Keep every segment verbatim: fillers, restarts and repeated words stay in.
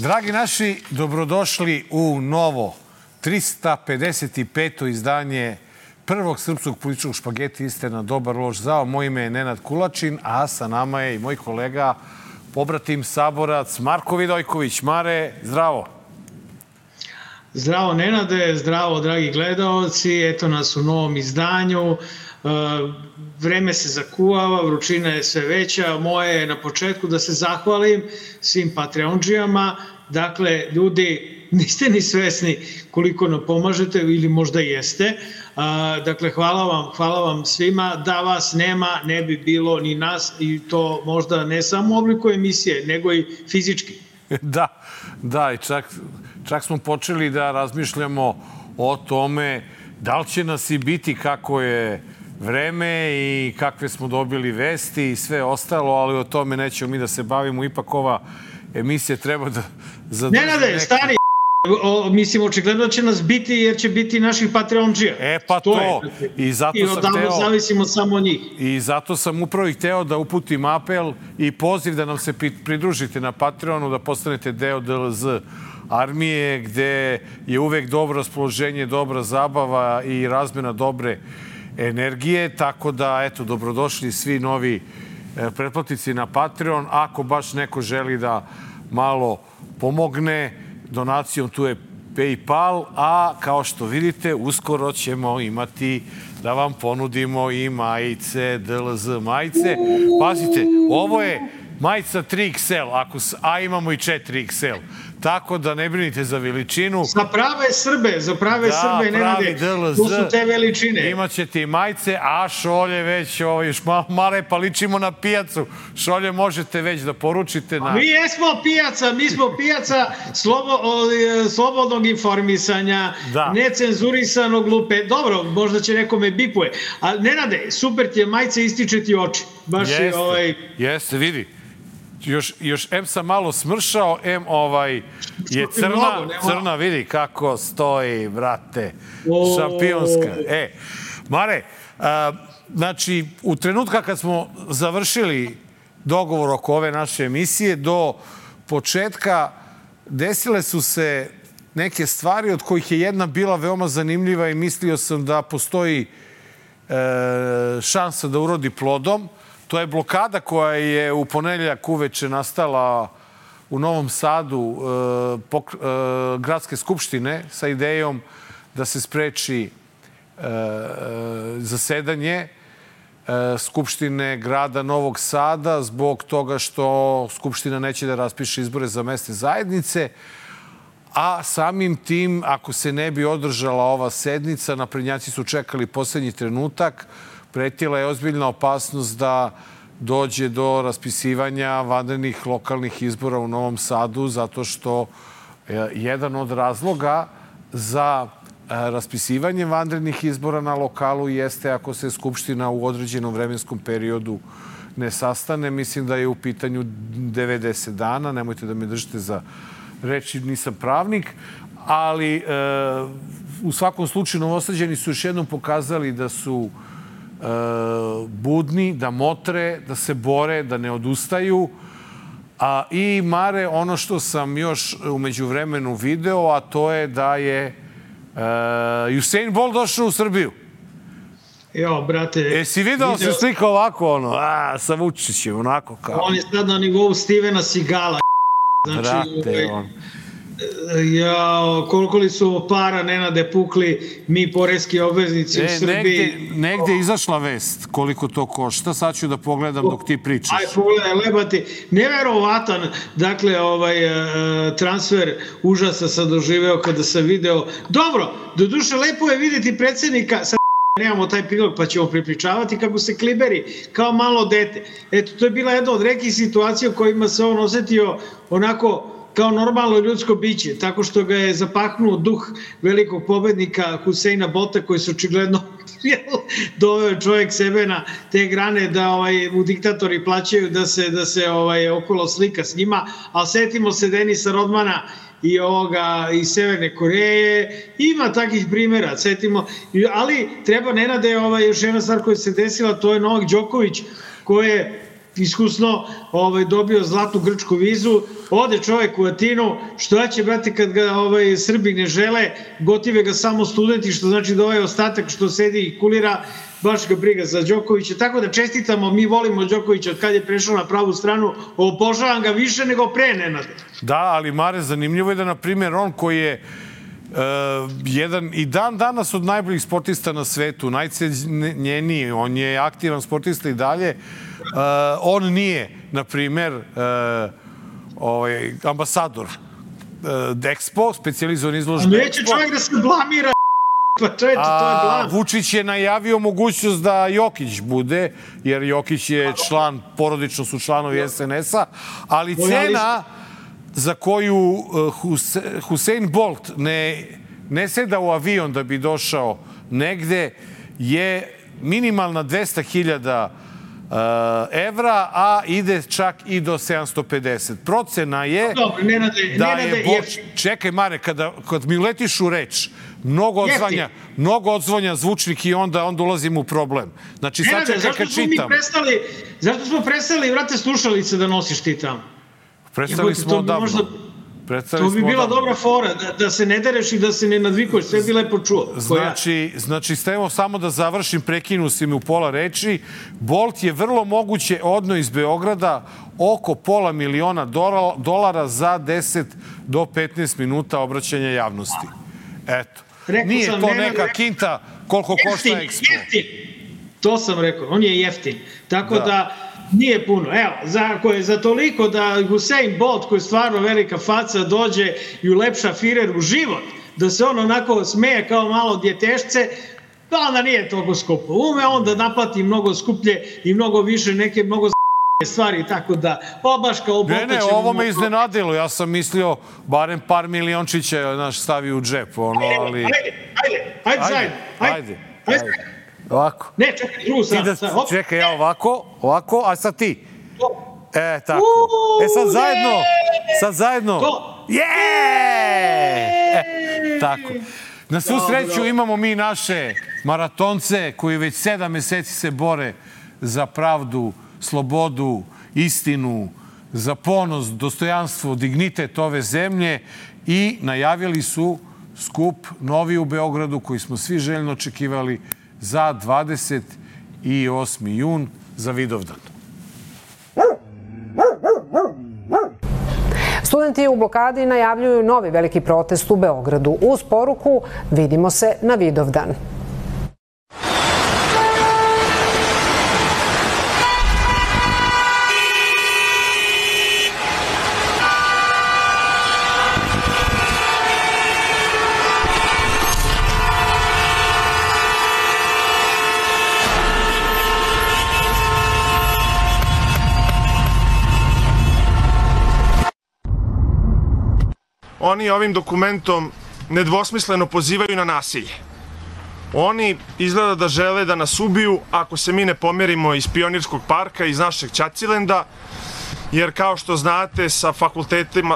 Dragi naši, dobrodošli u novo trista pedeset peto izdanje prvog srpskog političkog špageti Istina, dobar, loš, zao. Moje ime je Nenad Kulačin, a sa nama je i moj kolega, pobratim saborac Marko Vidojković. Mare, zdravo. Zdravo Nenade, zdravo dragi gledaoci. Eto nas u novom izdanju. Vreme se zakuvava, vrućina je sve veća. Moje je na početku da se zahvalim svim Patreondžijama. Dakle, ljudi, niste ni svesni koliko nam pomažete ili možda jeste. Dakle, hvala vam, hvala vam svima. Da vas nema, ne bi bilo ni nas, i to možda ne samo u obliku emisije, nego i fizički. Da, da, i čak, čak smo počeli da razmišljamo o tome da li će nas i biti kako je vreme i kakve smo dobili vesti i sve ostalo, ali o tome nećemo mi da se bavimo. Ipak ova emisija treba da zadrži... Nenade, neki... stari, o, mislim, očigledno će nas biti jer će biti naših Patreondžija. E pa to, to. I zato I sam odavno teo... zavisimo samo od njih. I zato sam upravo i hteo da uputim apel i poziv da nam se pridružite na Patreonu, da postanete deo D L Z armije, gde je uvek dobro raspoloženje, dobra zabava i razmena dobre energije, tako da, eto, dobrodošli svi novi pretplatnici na Patreon. Ako baš neko želi da malo pomogne donacijom, tu je PayPal, a kao što vidite, uskoro ćemo imati da vam ponudimo i majice, D L Z majice. Pazite, ovo je majica tri iks el, ako, a imamo i četiri iks el. Tako da ne brinite za veličinu. Za prave Srbe, za prave da, Srbe, Nenade, to su te veličine. Imaćete i majice, a šolje već, ovaj, još malo mare, pa ličimo na pijacu. Šolje možete već da poručite na... Mi jesmo pijaca, mi smo pijaca slobo, slobodnog informisanja, da. Necenzurisanog lupe. Dobro, možda će nekome bipuje. Ali, Nenade, super ti je majica, ističe ti oči. Baš jeste, je ovaj... jeste, vidi. Još, još em sam malo smršao, em ovaj je crna, crna, vidi kako stoji, brate, šampionska. E, Mare, a, znači, u trenutka kad smo završili dogovor oko ove naše emisije, do početka desile su se neke stvari od kojih je jedna bila veoma zanimljiva i mislio sam da postoji e, šansa da urodi plodom. To je blokada koja je u ponedeljak uveče nastala u Novom Sadu eh, pok, eh, gradske skupštine sa idejom da se spreči eh, zasedanje eh, skupštine grada Novog Sada zbog toga što skupština neće da raspiše izbore za mesne zajednice, a samim tim, ako se ne bi održala ova sednica, naprednjaci su čekali poslednji trenutak, pretila je ozbiljna opasnost da dođe do raspisivanja vanrednih lokalnih izbora u Novom Sadu, zato što jedan od razloga za raspisivanje vanrednih izbora na lokalu jeste ako se Skupština u određenom vremenskom periodu ne sastane. Mislim da je u pitanju devedeset dana, nemojte da me držite za reči, nisam pravnik, ali e, u svakom slučaju Novosađani su još jednom pokazali da su budni, da motre, da se bore, da ne odustaju. A, i Mare, ono što sam još umeđu vremenu video, a to je da je uh, Usain Bolt došao u Srbiju. Jo, brate... E, si video, video... se slika ovako, ono, a, sa Vučićem, onako kao... On je sad na nivou Stevena Seagala. Znači, brate, on... Ja, koliko li su para, Nenade, pukli mi poreski obveznici e, u Srbiji. Negde, negde je izašla vest koliko to košta. Sad ću da pogledam dok ti pričaš. Aj, pogledaj, lebati. Neverovatan, dakle, ovaj transfer užasa sam doživeo kada sam video. Dobro, doduše, lepo je vidjeti predsjednika, sad nemamo taj prilog pa ćemo pripričavati kako se kliberi kao malo dete. Eto, to je bila jedna od rekih situacija u kojima se on osetio onako kao normalno ljudsko biće, tako što ga je zapahnuo duh velikog pobednika Huseina Bolta, koji se očigledno doveo čovjek sebe na te grane da ovaj, mu diktatori plaćaju da se, da se ovaj, okolo slika s njima, ali setimo se Denisa Rodmana i ovoga iz Severne Koreje, ima takih primjera, setimo, ali treba Nenade, ovaj, još jedna stvar koja se desila, to je Novak Đoković, koji je iskusno ovaj, dobio zlatnu grčku vizu, ode čovek u Atinu, što će, brate, kad ga ovaj, Srbi ne žele, gotive ga samo studenti, što znači da ovaj ostatak što sedi i kulira, baš ga briga za Đokovića, tako da čestitamo, mi volimo Đokovića od kad je prešao na pravu stranu, obožavam ga više nego pre, Nenade. Da, ali Mare, zanimljivo je da, na primjer, on koji je Uh, jedan i dan danas od najboljih sportista na svetu, najcenjeniji, on je aktivan sportista i dalje, uh, on nije, na primjer, uh, ovaj, ambasador uh, Expo, specijalizovan izložbe Expo. Neće čovjek da se blamira, pa čovječe, to je blam. Vučić je najavio mogućnost da Jokić bude, jer Jokić je član, porodično su članovi S N S-a, ali cena za koju Usain Bolt ne, ne seda u avion da bi došao negde, je minimalna dvesta hiljada evra, a ide čak i do sedamsto pedeset. Procena je Dobre, Nenade, da Nenade, je... Boč... Čekaj, Mare, kada, kad mi letiš u reč, mnogo odzvanja, mnogo odzvanja zvučnik i onda, onda ulazim u problem. Znači, sad čekaj kad čitam. Prestali, zašto smo prestali, vrate, slušalice da nosiš ti tamo? Prestali smo odavno. To bi bila dobra fora, da, da se ne dereš i da se ne nadvikuješ, sve bi lepo čuo. Znači, znači stevo samo da završim, prekinu si mi u pola reči. Bolt je vrlo moguće odno iz Beograda oko pola miliona dolara za deset do petnaest minuta obraćanja javnosti. Eto. Rekao Nije sam, to ne, neka ne, kinta koliko jeftin, košta Expo. Jeftin. To sam rekao, on je jeftin. Tako da, da nije puno. Evo, za, ako je za toliko da Usain Bolt, koji je stvarno velika faca, dođe i ulepša Firer u život, da se on onako smeje kao malo djetešce, da onda nije toliko skupo. Ume on da naplati mnogo skuplje i mnogo više neke mnogo stvari, tako da obaš kao Bolta ćemo... Ne, ne, ovo me iznenadilo. Ja sam mislio barem par miliončića naš stavi u džep, ono, ali... Ajde, ajde, ajde, ajde, ajde, ajde, ajde, ajde. Ovako. Ne, čekaj, drugu sad. Da, sad čekaj, ja ovako, ovako, a sad ti. E, tako. E, sad zajedno, sad zajedno. Je! E, tako. Na svu sreću imamo mi naše maratonce koji već sedam meseci se bore za pravdu, slobodu, istinu, za ponos, dostojanstvo, dignitet ove zemlje i najavili su skup novi u Beogradu koji smo svi željno očekivali za dvadeset osmi jun za Vidovdan. Studenti u blokadi najavljuju novi veliki protest u Beogradu. Uz poruku vidimo se na Vidovdan. Oni ovim dokumentom nedvosmisleno pozivaju na nasilje. Oni izgleda da žele da nas ubiju ako se mi ne pomerimo iz Pionirskog parka, iz našeg Ćacilenda, jer kao što znate, sa,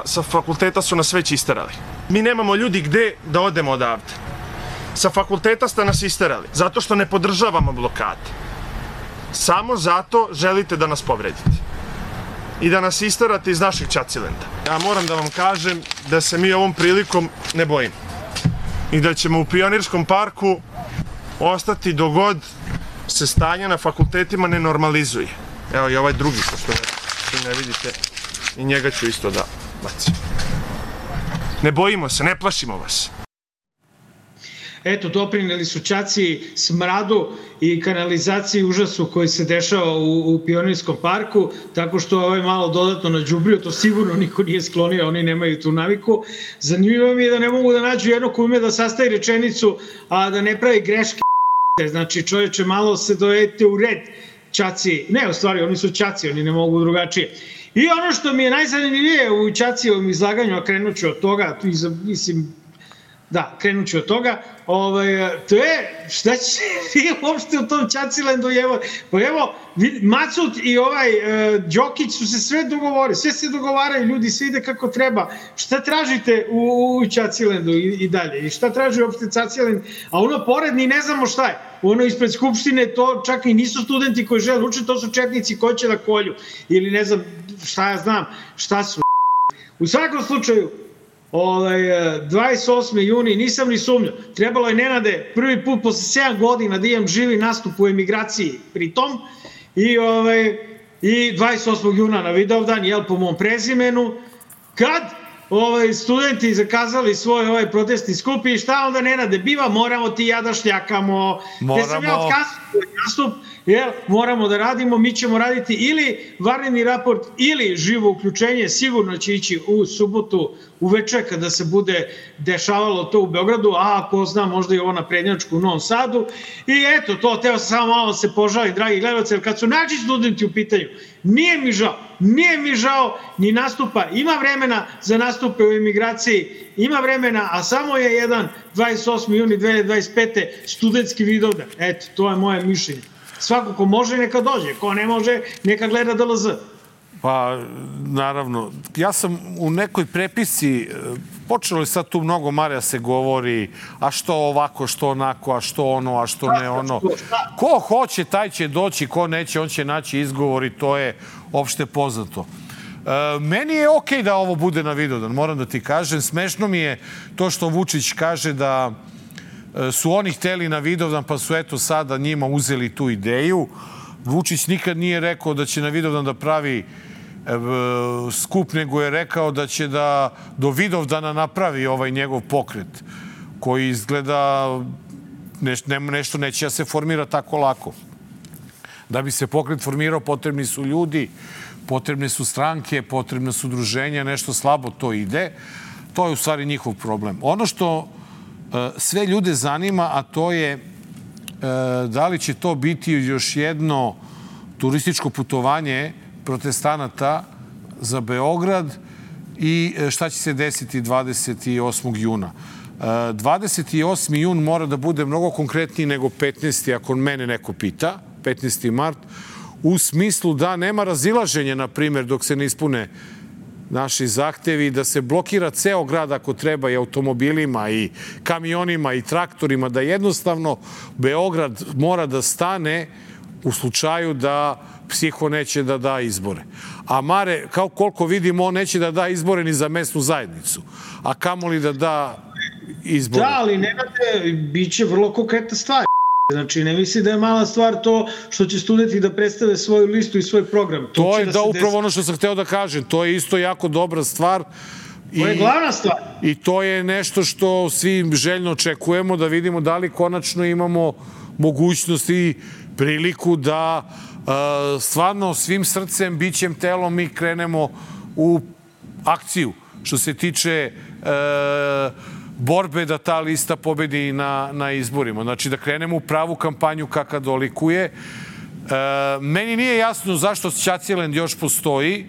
sa fakulteta su nas već isterali. Mi nemamo ljudi gde da odemo odavde. Sa fakulteta ste nas isterali, zato što ne podržavamo blokade. Samo zato želite da nas povredite i da nas isterate iz našeg Ćacilenda. Ja moram da vam kažem da se mi ovom prilikom ne bojimo i da ćemo u Pionirskom parku ostati dogod se stanje na fakultetima ne normalizuje. Evo i ovaj drugi, što ne vidite, i njega ću isto da bacim. Ne bojimo se, ne plašimo vas. Eto, doprineli su Ćaci smradu i kanalizaciji užasu koji se dešava u, u Pionirskom parku, tako što ovaj malo dodatno nađubrio, to sigurno niko nije sklonio, oni nemaju tu naviku. Zanimljivo mi je da ne mogu da nađu jedno ko ume da sastavi rečenicu, a da ne pravi greške. Znači, čovječe, malo se dovedete u red, Ćaci. Ne, u stvari, oni su Ćaci, oni ne mogu drugačije. I ono što mi je najzanimljivije u Ćacijevom izlaganju, a krenut ću od toga, tu mislim, Da, krenut ću od toga. Ovaj, to je, šta će vi uopšte u tom Ćacilendu? Evo, pa evo, Macut i ovaj uh, Đokić su se sve dogovorili, sve se dogovaraju, ljudi, sve ide kako treba. Šta tražite u, u Ćacilendu i, i dalje? I šta traži uopšte Ćacilend? A ono poredni ne znamo šta je. Ono ispred Skupštine, to čak i nisu studenti koji žele uče, to su četnici koji će da kolju. Ili ne znam, šta ja znam, šta su. U svakom slučaju, Ovaj, dvadeset osmog juna, nisam ni sumnjao. Trebalo je, Nenade, prvi put posle sedam godina da imam živi nastup u emigraciji pritom i, ovaj, i dvadeset osmog juna na Vidovdan, jel, po mom prezimenu, kad ovaj, studenti zakazali svoj ovaj protestni skup i šta onda, Nenade, biva, moramo ti ja da šljakamo. Moramo. Gde sam ja otkazao svoj nastup, jel, moramo da radimo, mi ćemo raditi ili vanredni raport ili živo uključenje, sigurno će ići u subotu uveče kada se bude dešavalo to u Beogradu, a ako zna možda i ovo na prednjačku u Novom Sadu. I eto, to, teo sam samo malo se požali, dragi gledalci, jer kad su naši studenti u pitanju, nije mi žao, nije mi žao ni nastupa, ima vremena za nastupe u emigraciji, ima vremena, a samo je jedan dvadeset osmog juna dve hiljade dvadeset pete studentski Vidovdan. Eto, to je moje mišljenje. Svako ko može, neka dođe. Ko ne može, neka gleda D L Z. Pa, naravno. Ja sam u nekoj prepisci, počelo je sad tu mnogo, Marija, se govori, a što ovako, što onako, a što ono, a što ne ono. Ko hoće, taj će doći, ko neće, on će naći izgovor i to je opšte poznato. E, meni je okej da ovo bude na Vidovdan, moram da ti kažem. Smešno mi je to što Vučić kaže da su oni hteli na Vidovdan, pa su eto sada njima uzeli tu ideju. Vučić nikad nije rekao da će na Vidovdan da pravi skup, nego je rekao da će da do Vidovdana napravi ovaj njegov pokret, koji izgleda nešto neće da se formira tako lako. Da bi se pokret formirao, potrebni su ljudi, potrebne su stranke, potrebne su udruženja, nešto slabo to ide. To je u stvari njihov problem. Ono što sve ljude zanima, a to je da li će to biti još jedno turističko putovanje protestanata za Beograd i šta će se desiti dvadeset osmog juna. dvadeset osmi jun mora da bude mnogo konkretniji nego petnaesti. ako mene neko pita, petnaesti mart, u smislu da nema razilaženja, na primjer, dok se ne ispune naši zahtevi, da se blokira ceo grad ako treba i automobilima i kamionima i traktorima, da jednostavno Beograd mora da stane u slučaju da psiho neće da da izbore. A Mare, kao koliko vidimo, on neće da da izbore ni za mesnu zajednicu. A kamoli da da izbore. Da, ali nemate, bit će vrlo konkretna stvar. Znači, ne misli da je mala stvar to što će studenti da predstave svoju listu i svoj program. To, to je da, da upravo desi... ono što sam hteo da kažem. To je isto jako dobra stvar. To je glavna stvar. I to je nešto što svi željno očekujemo, da vidimo da li konačno imamo mogućnost i priliku da uh, stvarno svim srcem, bićem, telom mi krenemo u akciju. Što se tiče uh, borbe da ta lista pobedi na, na izborima. Znači da krenemo u pravu kampanju kaka dolikuje. E, meni nije jasno zašto Ćacilend još postoji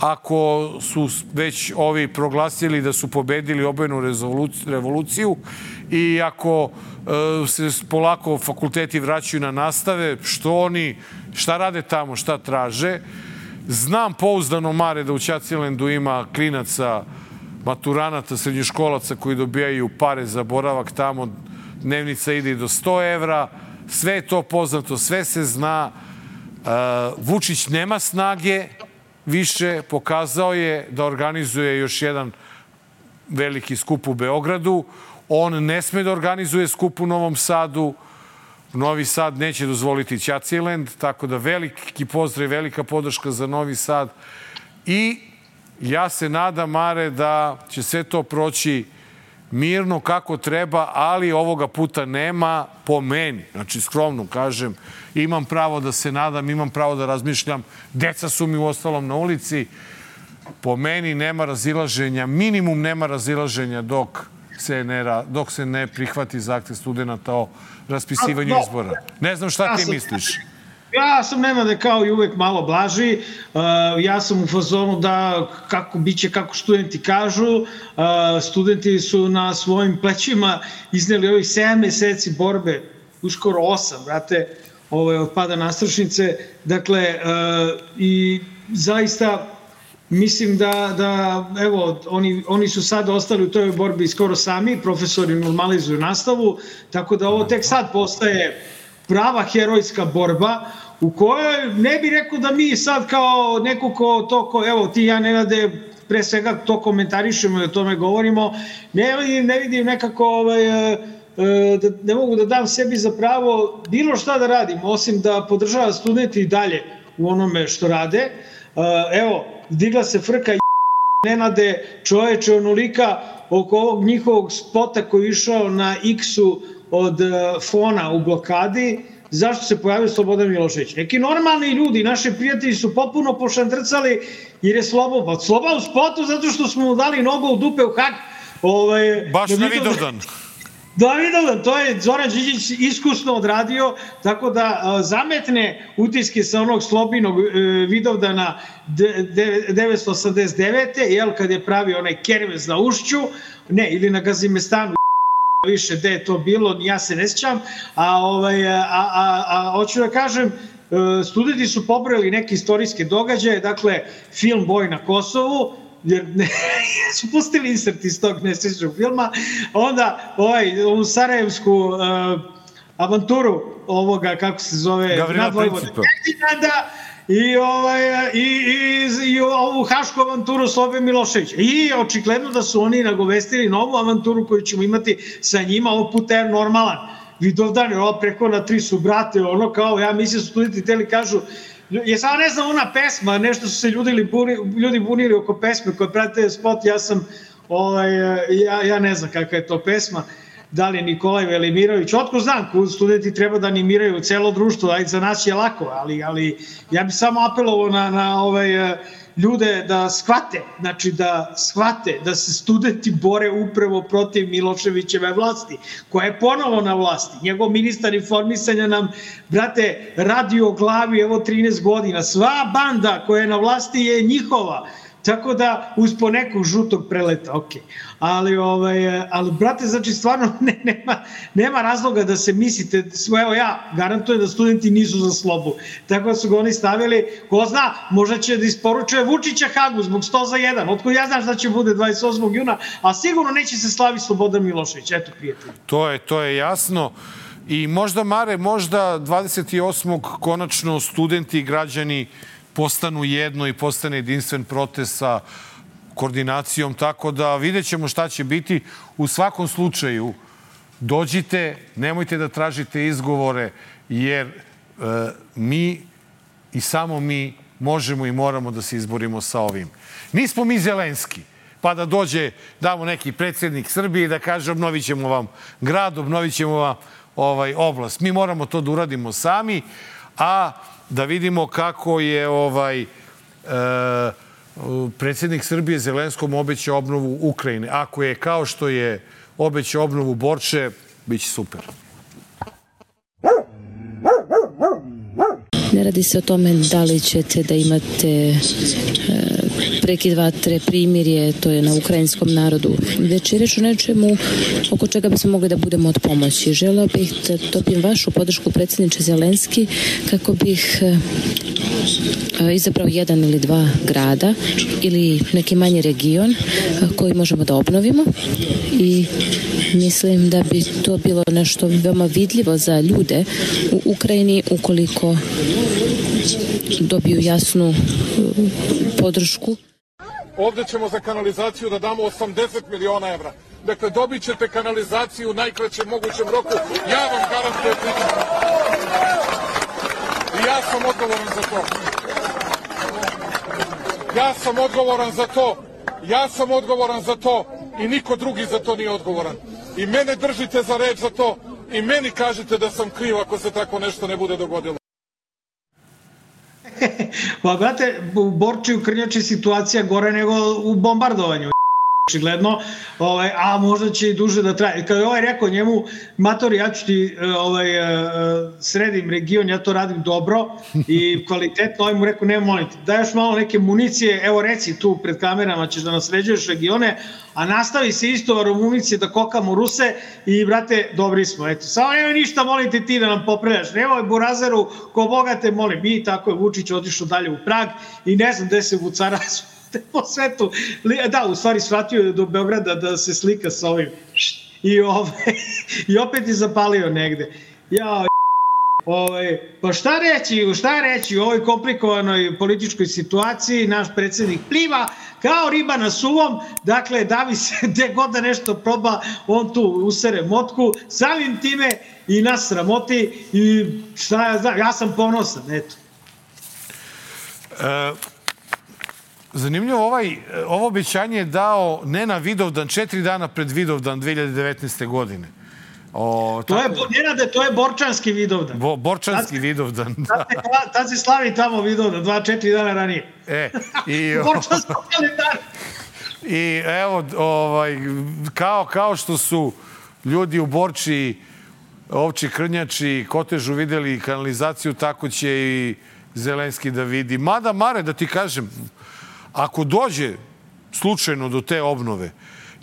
ako su već ovi proglasili da su pobedili obojenu revoluciju i ako e, se polako fakulteti vraćaju na nastave, što oni, šta rade tamo, šta traže. Znam pouzdano, Mare, da u Ćacilendu ima klinaca, maturanata, srednjoškolaca koji dobijaju pare za boravak tamo, dnevnica ide i do sto evra, sve je to poznato, sve se zna. Uh, Vučić nema snage više, pokazao je da organizuje još jedan veliki skup u Beogradu. On ne sme da organizuje skup u Novom Sadu. Novi Sad neće dozvoliti Ćacilend, tako da veliki pozdrav, velika podrška za Novi Sad. I ja se nadam, Mare, da će sve to proći mirno kako treba, ali ovoga puta nema po meni. Znači, skromno kažem, imam pravo da se nadam, imam pravo da razmišljam. Deca su mi u ostalom na ulici. Po meni nema razilaženja, minimum nema razilaženja dok se ne, dok se ne prihvati zahtev studenta o raspisivanju izbora. Ne znam šta ti misliš. Ja sam Nenade kao i uvek malo blaži, uh, ja sam u fazonu da kako biće, kako studenti kažu, uh, studenti su na svojim plećima izneli ovih sedam meseci borbe, uskoro osam, brate, ovaj, od pada nastrešnice, dakle, uh, i zaista mislim da, da evo, oni, oni su sad ostali u toj borbi skoro sami, profesori normalizuju nastavu, tako da ovo tek sad postaje prava herojska borba, u kojoj ne bih rekao da mi sad kao neko ko to, ko, evo ti ja Nenade, pre svega to komentarišemo i o tome govorimo, ne vidim, ne vidim nekako, ovaj, da, ne mogu da dam sebi za pravo bilo šta da radim, osim da podržava studenti i dalje u onome što rade. Evo, digla se frka Nenade, čoveče, onolika oko ovog njihovog spota koji je išao na X-u od Fona u blokadi, zašto se pojavio Slobodan Milošević. Neki normalni ljudi, naši prijatelji su potpuno pošandrcali jer je Slobo, pa Sloba u spotu zato što smo mu dali nogu u dupe u hak. Ovaj, Baš na Vidovdan. Da, Vidovdan, to je Zoran Đinđić iskusno odradio, tako da a, zametne utiske sa onog Slobinog e, Vidovdana devetsto osamdeset devete. jel, kad je pravio onaj kermes na Ušću, ne, ili na Gazimestanu, više gde je to bilo, ja se ne sjećam, a, ovaj, a, a, a hoću da kažem, studenti su pobrali neke istorijske događaje, dakle, film Boj na Kosovu, jer ne, su pustili insert iz tog nesrećnog filma, onda ovaj, ovu sarajevsku uh, avanturu ovoga, kako se zove, Gavrila Principa. I, ovaj, i, i, i ovu hašku avanturu Slobe Miloševića. I očigledno da su oni nagovestili novu avanturu koju ćemo imati sa njima, ovog puta je normalan. Vidovdan je ovo preko na tri su brate, ono kao, ja mislim su studenti teli kažu, je samo ne znam ona pesma, nešto su se ljudi, ljudi bunili oko pesme koje prate spot, ja sam, ovaj, ja, ja ne znam kakva je to pesma, da li je Nikolaj Velimirović, otko znam, studenti treba da animiraju celo društvo, ajde za nas je lako, ali, ali ja bih samo apelovao na, na ovaj, ljude da shvate, znači da shvate da se studenti bore upravo protiv Miloševićeve vlasti, koja je ponovo na vlasti. Njegov ministar informisanja nam, brate, radi o glavi, evo trinaest godina, sva banda koja je na vlasti je njihova. Tako da, uz po nekog žutog preleta, ok. Ali, ovaj, ali brate, znači, stvarno ne, nema, nema razloga da se mislite, evo ja garantujem da studenti nisu za Slobu. Tako da su ga oni stavili, ko zna, možda će da isporučuje Vučića Hagu zbog sto za jedan. Otko ja znaš da će bude dvadeset osmog juna, a sigurno neće se slavi Slobodan Milošević. Eto, prijatelji. To je, to je jasno. I možda, Mare, možda dvadeset osmog konačno studenti i građani postanu jedno i postane jedinstven protest sa koordinacijom, tako da vidjet ćemo šta će biti. U svakom slučaju, dođite, nemojte da tražite izgovore, jer e, mi i samo mi možemo i moramo da se izborimo sa ovim. Nismo mi Zelenski, pa da dođe, damo neki predsjednik Srbije i da kaže obnovit ćemo vam grad, obnovit ćemo vam ovaj, oblast. Mi moramo to da uradimo sami, a da vidimo kako je ovaj e, predsjednik Srbije Zelenskom obećao obnovu Ukrajine. Ako je kao što je obećao obnovu Borče, bit će super. Ne radi se o tome da li ćete da imate e, prekid vatre, primirje, to je na ukrajinskom narodu, već je reč o nečemu oko čega bismo mogli da budemo od pomoći. Želeo bih da dobijem vašu podršku, predsjedniče Zelenski, kako bih e, izabrao jedan ili dva grada ili neki manji region e, koji možemo da obnovimo i mislim da bi to bilo nešto veoma vidljivo za ljude u Ukrajini ukoliko dobiju jasnu podršku. Ovdje ćemo za kanalizaciju da damo osamdeset miliona evra. Dakle, dobit ćete kanalizaciju u najkraćem mogućem roku. Ja vam garantujem. I ja sam odgovoran za to. Ja sam odgovoran za to. Ja sam odgovoran za to i niko drugi za to nije odgovoran. I mene držite za reč za to i meni kažete da sam kriv ako se tako nešto ne bude dogodilo. Pa, brate, u Borči, u Krnjači situacija gore nego u bombardovanju. očigledno, ovaj, a možda će i duže da traje. Kada je ovaj rekao njemu, matori, ja ću ti ovaj, sredim region, ja to radim dobro i kvalitetno, ovaj mu rekao, ne molim ti, daj još malo neke municije, evo reci tu pred kamerama ćeš da nas sređuješ regione, a nastavi se isto municije da kokamo Ruse i, brate, dobri smo, eto. Samo nemoj ništa, molim te ti da nam popravljaš, nemoj Burazeru, ko Boga te molim. I tako je Vučić otišao dalje u Prag i ne znam gde se vucara po svetu. Da, u stvari shvatio je do Beograda da se slika sa ovim. I, ove, i opet je zapalio negde. Ja, ove, pa šta reći, šta reći u ovoj komplikovanoj političkoj situaciji, naš predsjednik pliva kao riba na suvom, dakle, davi se gde god da nešto proba, on tu usere motku, samim time i nas sramoti i šta ja znam, ja sam ponosan, eto. E, zanimljivo, ovaj, ovo obećanje je dao ne na Vidovdan, četiri dana pred Vidovdan dve hiljade devetnaeste. godine. O, to tako... je, Nenade, to je Borčanski Vidovdan. Bo, Borčanski tad, Vidovdan, da. Tad, tad se slavi tamo Vidovdan, dva, četiri dana ranije. E, i... Borčanski kalendar. I evo, ovaj, kao, kao što su ljudi u Borči, Ovči Krnjači, Kotežu videli kanalizaciju, tako će i Zelenski da vidi. Mada, Mare, da ti kažem, ako dođe slučajno do te obnove,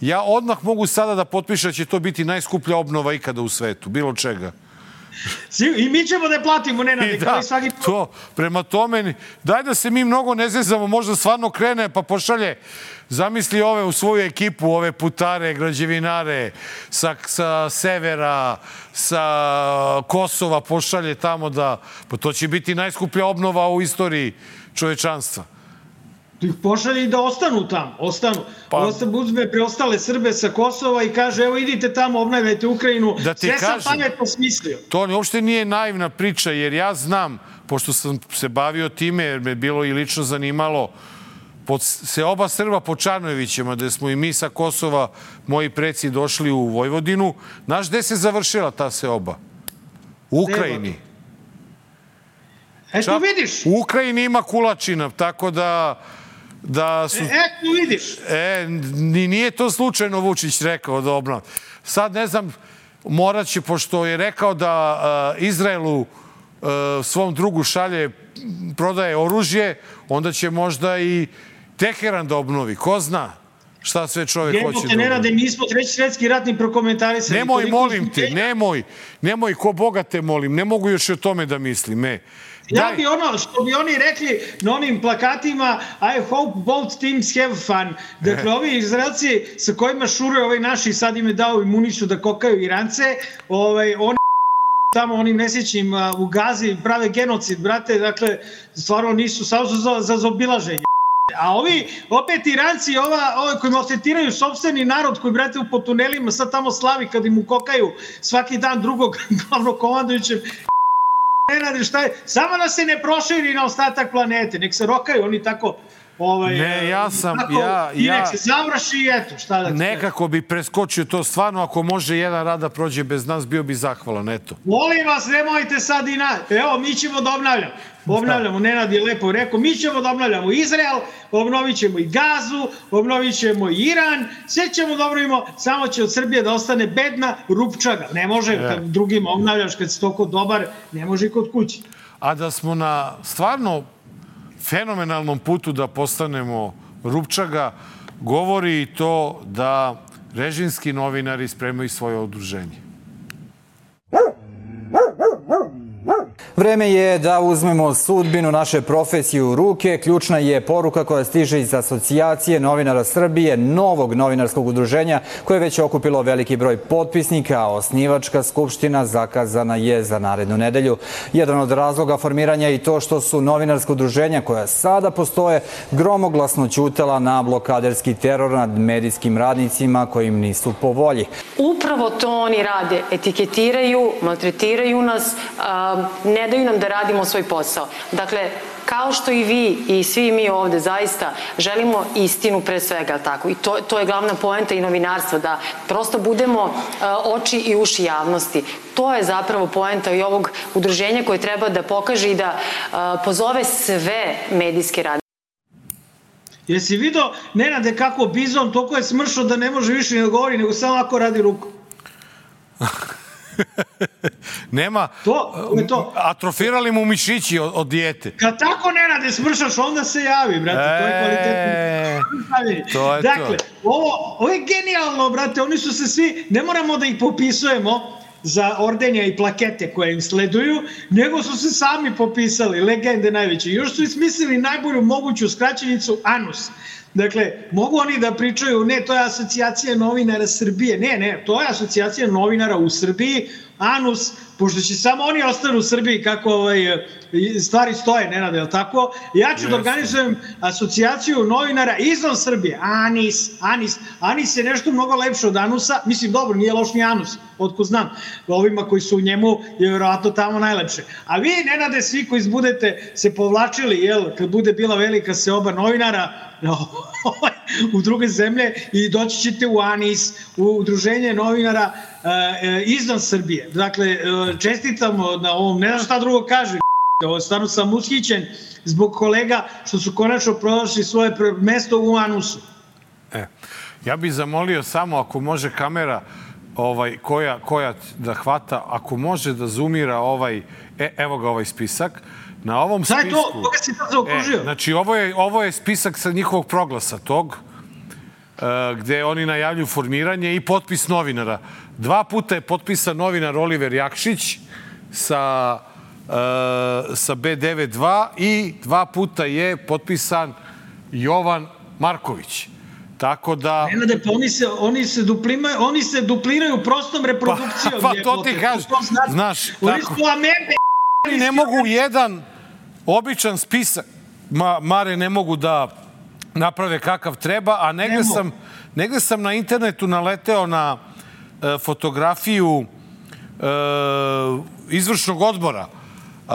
ja odmah mogu sada da potpišem da će to biti najskuplja obnova ikada u svetu, bilo čega. I mi ćemo da je platimo, Nenade. Da, svaki... to, prema tome, daj da se mi mnogo ne zezamo, možda stvarno krene pa pošalje, zamisli ove u svoju ekipu, ove putare, građevinare, sa, sa severa, sa Kosova, pošalje tamo da, pa to će biti najskuplja obnova u istoriji čovečanstva. Ih pošalje i da ostanu tamo, ostanu. Pa, uzme preostale Srbe sa Kosova i kaže, evo idite tamo, obnavljajte Ukrajinu. Da sve kažem, sam pametno smislio. To uopšte nije naivna priča, jer ja znam, pošto sam se bavio time, jer me bilo i lično zanimalo, pod, se oba Srba po Čarnojevićima, gde smo i mi sa Kosova, moji preci došli u Vojvodinu. Znaš gde se završila ta seoba? U Ukrajini. Eto vidiš. U Ukrajini ima kulačina, tako da... Da su... E, eto vidiš. E, nije to slučajno Vučić rekao da obnavlja. Sad ne znam, morat će, pošto je rekao da uh, Izraelu uh, svom drugu šalje, prodaje oružje, onda će možda i Teheran da obnovi. Ko zna šta sve čovjek Jebo hoće te, da obnovi. Mi smo treći svetski ratni prokomentarisani. Nemoj, molim te, nemoj. Nemoj, ko Boga te molim. Ne mogu još o tome da mislim. E. Ja bi ono, što bi oni rekli na onim plakatima, I hope both teams have fun. Dakle, ovi Izraelci sa kojima šuruje ovaj naši, sad im je dao imunicu da kokaju Irance, ovaj, oni tamo onim nesjećnim u Gazi prave genocid, brate, dakle, stvarno nisu, samo su za, za zobilaženje. A ovi, opet Iranci, ova, ove koji maltretiraju sopstveni narod koji, brate, po tunelima sad tamo slavi kad im ukokaju svaki dan drugog glavnog komandujućeg. Nenade, šta je? Samo da se ne proširi na ostatak planete, nek se rokaju oni tako... Ovaj, ne, ja sam... tako, ja, I nek ja, se završi i eto, šta da ti... Nekako bi preskočio to stvarno, ako može jedan rad da prođe bez nas, bio bi zahvalan, eto. Molim vas, nemojte sad i na... Evo, mi ćemo da obnavljamo. Obnavljamo, Nenad je lepo rekao, mi ćemo da obnavljamo Izrael, obnovit ćemo i Gazu, obnovit ćemo i Iran, sve ćemo da obnovimo, samo će od Srbije da ostane bedna rupčaga. Ne može, kad drugim obnavljaš, kad si toliko dobar, ne može i kod kući. A da smo na stvarno fenomenalnom putu da postanemo rupčaga, govori i to da režimski novinari spremaju svoje udruženje. Vreme je da uzmemo sudbinu naše profesije u ruke. Ključna je poruka koja stiže iz Asocijacije novinara Srbije, novog novinarskog udruženja koje je već okupilo veliki broj potpisnika, a osnivačka skupština zakazana je za narednu nedelju. Jedan od razloga formiranja je i to što su novinarska udruženja koja sada postoje gromoglasno ćutala na blokaderski teror nad medijskim radnicima koji im nisu po volji. Upravo to oni rade. Etiketiraju, maltretiraju nas, ne daju nam da radimo svoj posao. Dakle, kao što i vi i svi mi ovde zaista želimo istinu pre svega, tako? I to, to je glavna poenta i novinarstva, da prosto budemo uh, oči i uši javnosti. To je zapravo poenta i ovog udruženja koje treba da pokaže i da uh, pozove sve medijske radnike. Jesi vidio, Nenade, kako Bizon toliko je smršao da ne može više ne govori, nego samo ako radi ruku. Nema, to, to je to. Atrofirali mu mišići od, od dijete. Kad tako, Nenade, smršaš, onda se javi, brate, e, to je kvalitetno. To je dakle, to. Ovo, ovo je genijalno, brate, oni su se svi, ne moramo da ih popisujemo za ordenja i plakete koje im sleduju, nego su se sami popisali, legende najveće. Još su ismislili najbolju moguću skraćenicu ANUS. Dakle, mogu oni da pričaju, ne, to je asocijacija novinara Srbije. Ne, ne, to je asocijacija novinara u Srbiji, ANUS, pošto će samo oni ostanu u Srbiji kako ovaj, stvari stoje, Nenade, je li tako? Ja ću yes. da organizujem asocijaciju novinara izvan Srbije. ANIS, ANIS. ANIS je nešto mnogo lepše od ANUS-a. Mislim, dobro, nije loš ni ANUS, otko znam. Ovima koji su u njemu je vjerovatno tamo najlepše. A vi, Nenade, svi koji budete se povlačili, jel, kad bude bila velika seoba novinara, u druge zemlje i doći ćete u ANIS, u udruženje novinara e, izvan Srbije. Dakle, čestitamo na ovom, ne znam šta drugo kaže, ovo stvarno sam ushićen zbog kolega što su konačno prošli svoje mesto u ANUS-u. E, ja bih zamolio samo ako može kamera ovaj, koja, koja da hvata, ako može da zoomira ovaj, e, evo ga ovaj spisak. Na ovom spisku... Šta je to? Koga si to zaokružio? E, znači, ovo je, ovo je spisak sa njihovog proglasa tog, uh, gde oni najavljuju formiranje i potpis novinara. Dva puta je potpisan novinar Oliver Jakšić sa, uh, sa B devedeset dva i dva puta je potpisan Jovan Marković. Tako da... Nenade, pa oni se, oni se, duplimaju, oni se dupliraju prostom reprodukcijom. Pa, pa to ti kažeš, znaš, oni tako... su amebe. Oni ne mogu jedan običan spisak, Ma, Mare, ne mogu da naprave kakav treba, a negde sam, negde sam na internetu naleteo na e, fotografiju e, izvršnog odbora. E,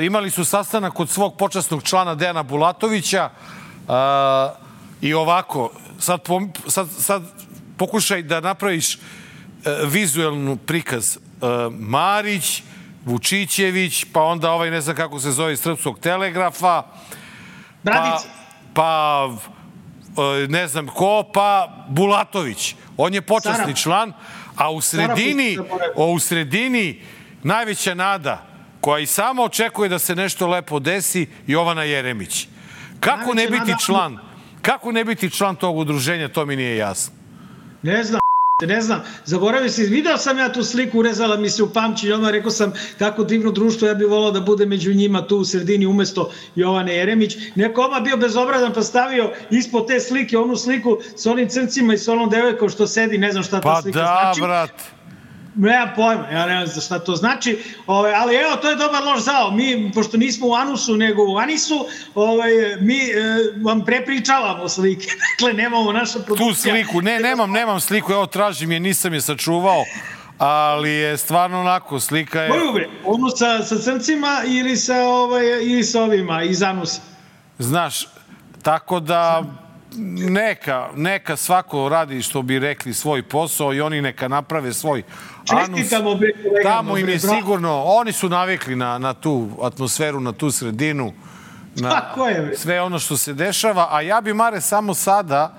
e, imali su sastanak kod svog počasnog člana Dejana Bulatovića e, i ovako, sad, sad, sad pokušaj da napraviš e, vizuelnu prikaz. E, Marić, Vučićević, pa onda ovaj, ne znam kako se zove, iz Srpskog telegrafa, pa, pa ne znam ko, pa Bulatović. On je počasni član, a u sredini, u sredini najveća nada, koja i sama očekuje da se nešto lepo desi, Jovana Jeremić. Kako ne biti član? Kako ne biti član tog udruženja, to mi nije jasno. Ne znam. Ne znam, zaboravio si, video sam ja tu sliku, urezala mi se u pamćenje, odmah rekao sam kako divno društvo, ja bih volao da bude među njima tu u sredini umesto Jovane Jeremić. Neko odmah bio bezobrazan pa stavio ispod te slike onu sliku sa onim crncima i sa onom devojkom što sedi, ne znam šta ta pa slika da, znači. Pa da, brat. Nemam pojma, ja ne znam šta to znači, ove, ali evo, to je dobar loš zao. Mi, pošto nismo u ANUS-u, nego u ANIS-u, ove, mi e, vam prepričavamo slike. Dakle, nemamo naša produkcija. Tu sliku, ne, nemam, nemam sliku, evo, tražim je, nisam je sačuvao, ali je stvarno onako, slika je... Koju bre? Onu sa, sa crncima ili sa, ovaj, ili sa ovima iz ANUS-a? Znaš, tako da... Neka, neka svako radi, što bi rekli, svoj posao i oni neka naprave svoj ANUS. Tamo im je sigurno, oni su navikli na, na tu atmosferu, na tu sredinu, na sve ono što se dešava. A ja bi, Mare, samo sada,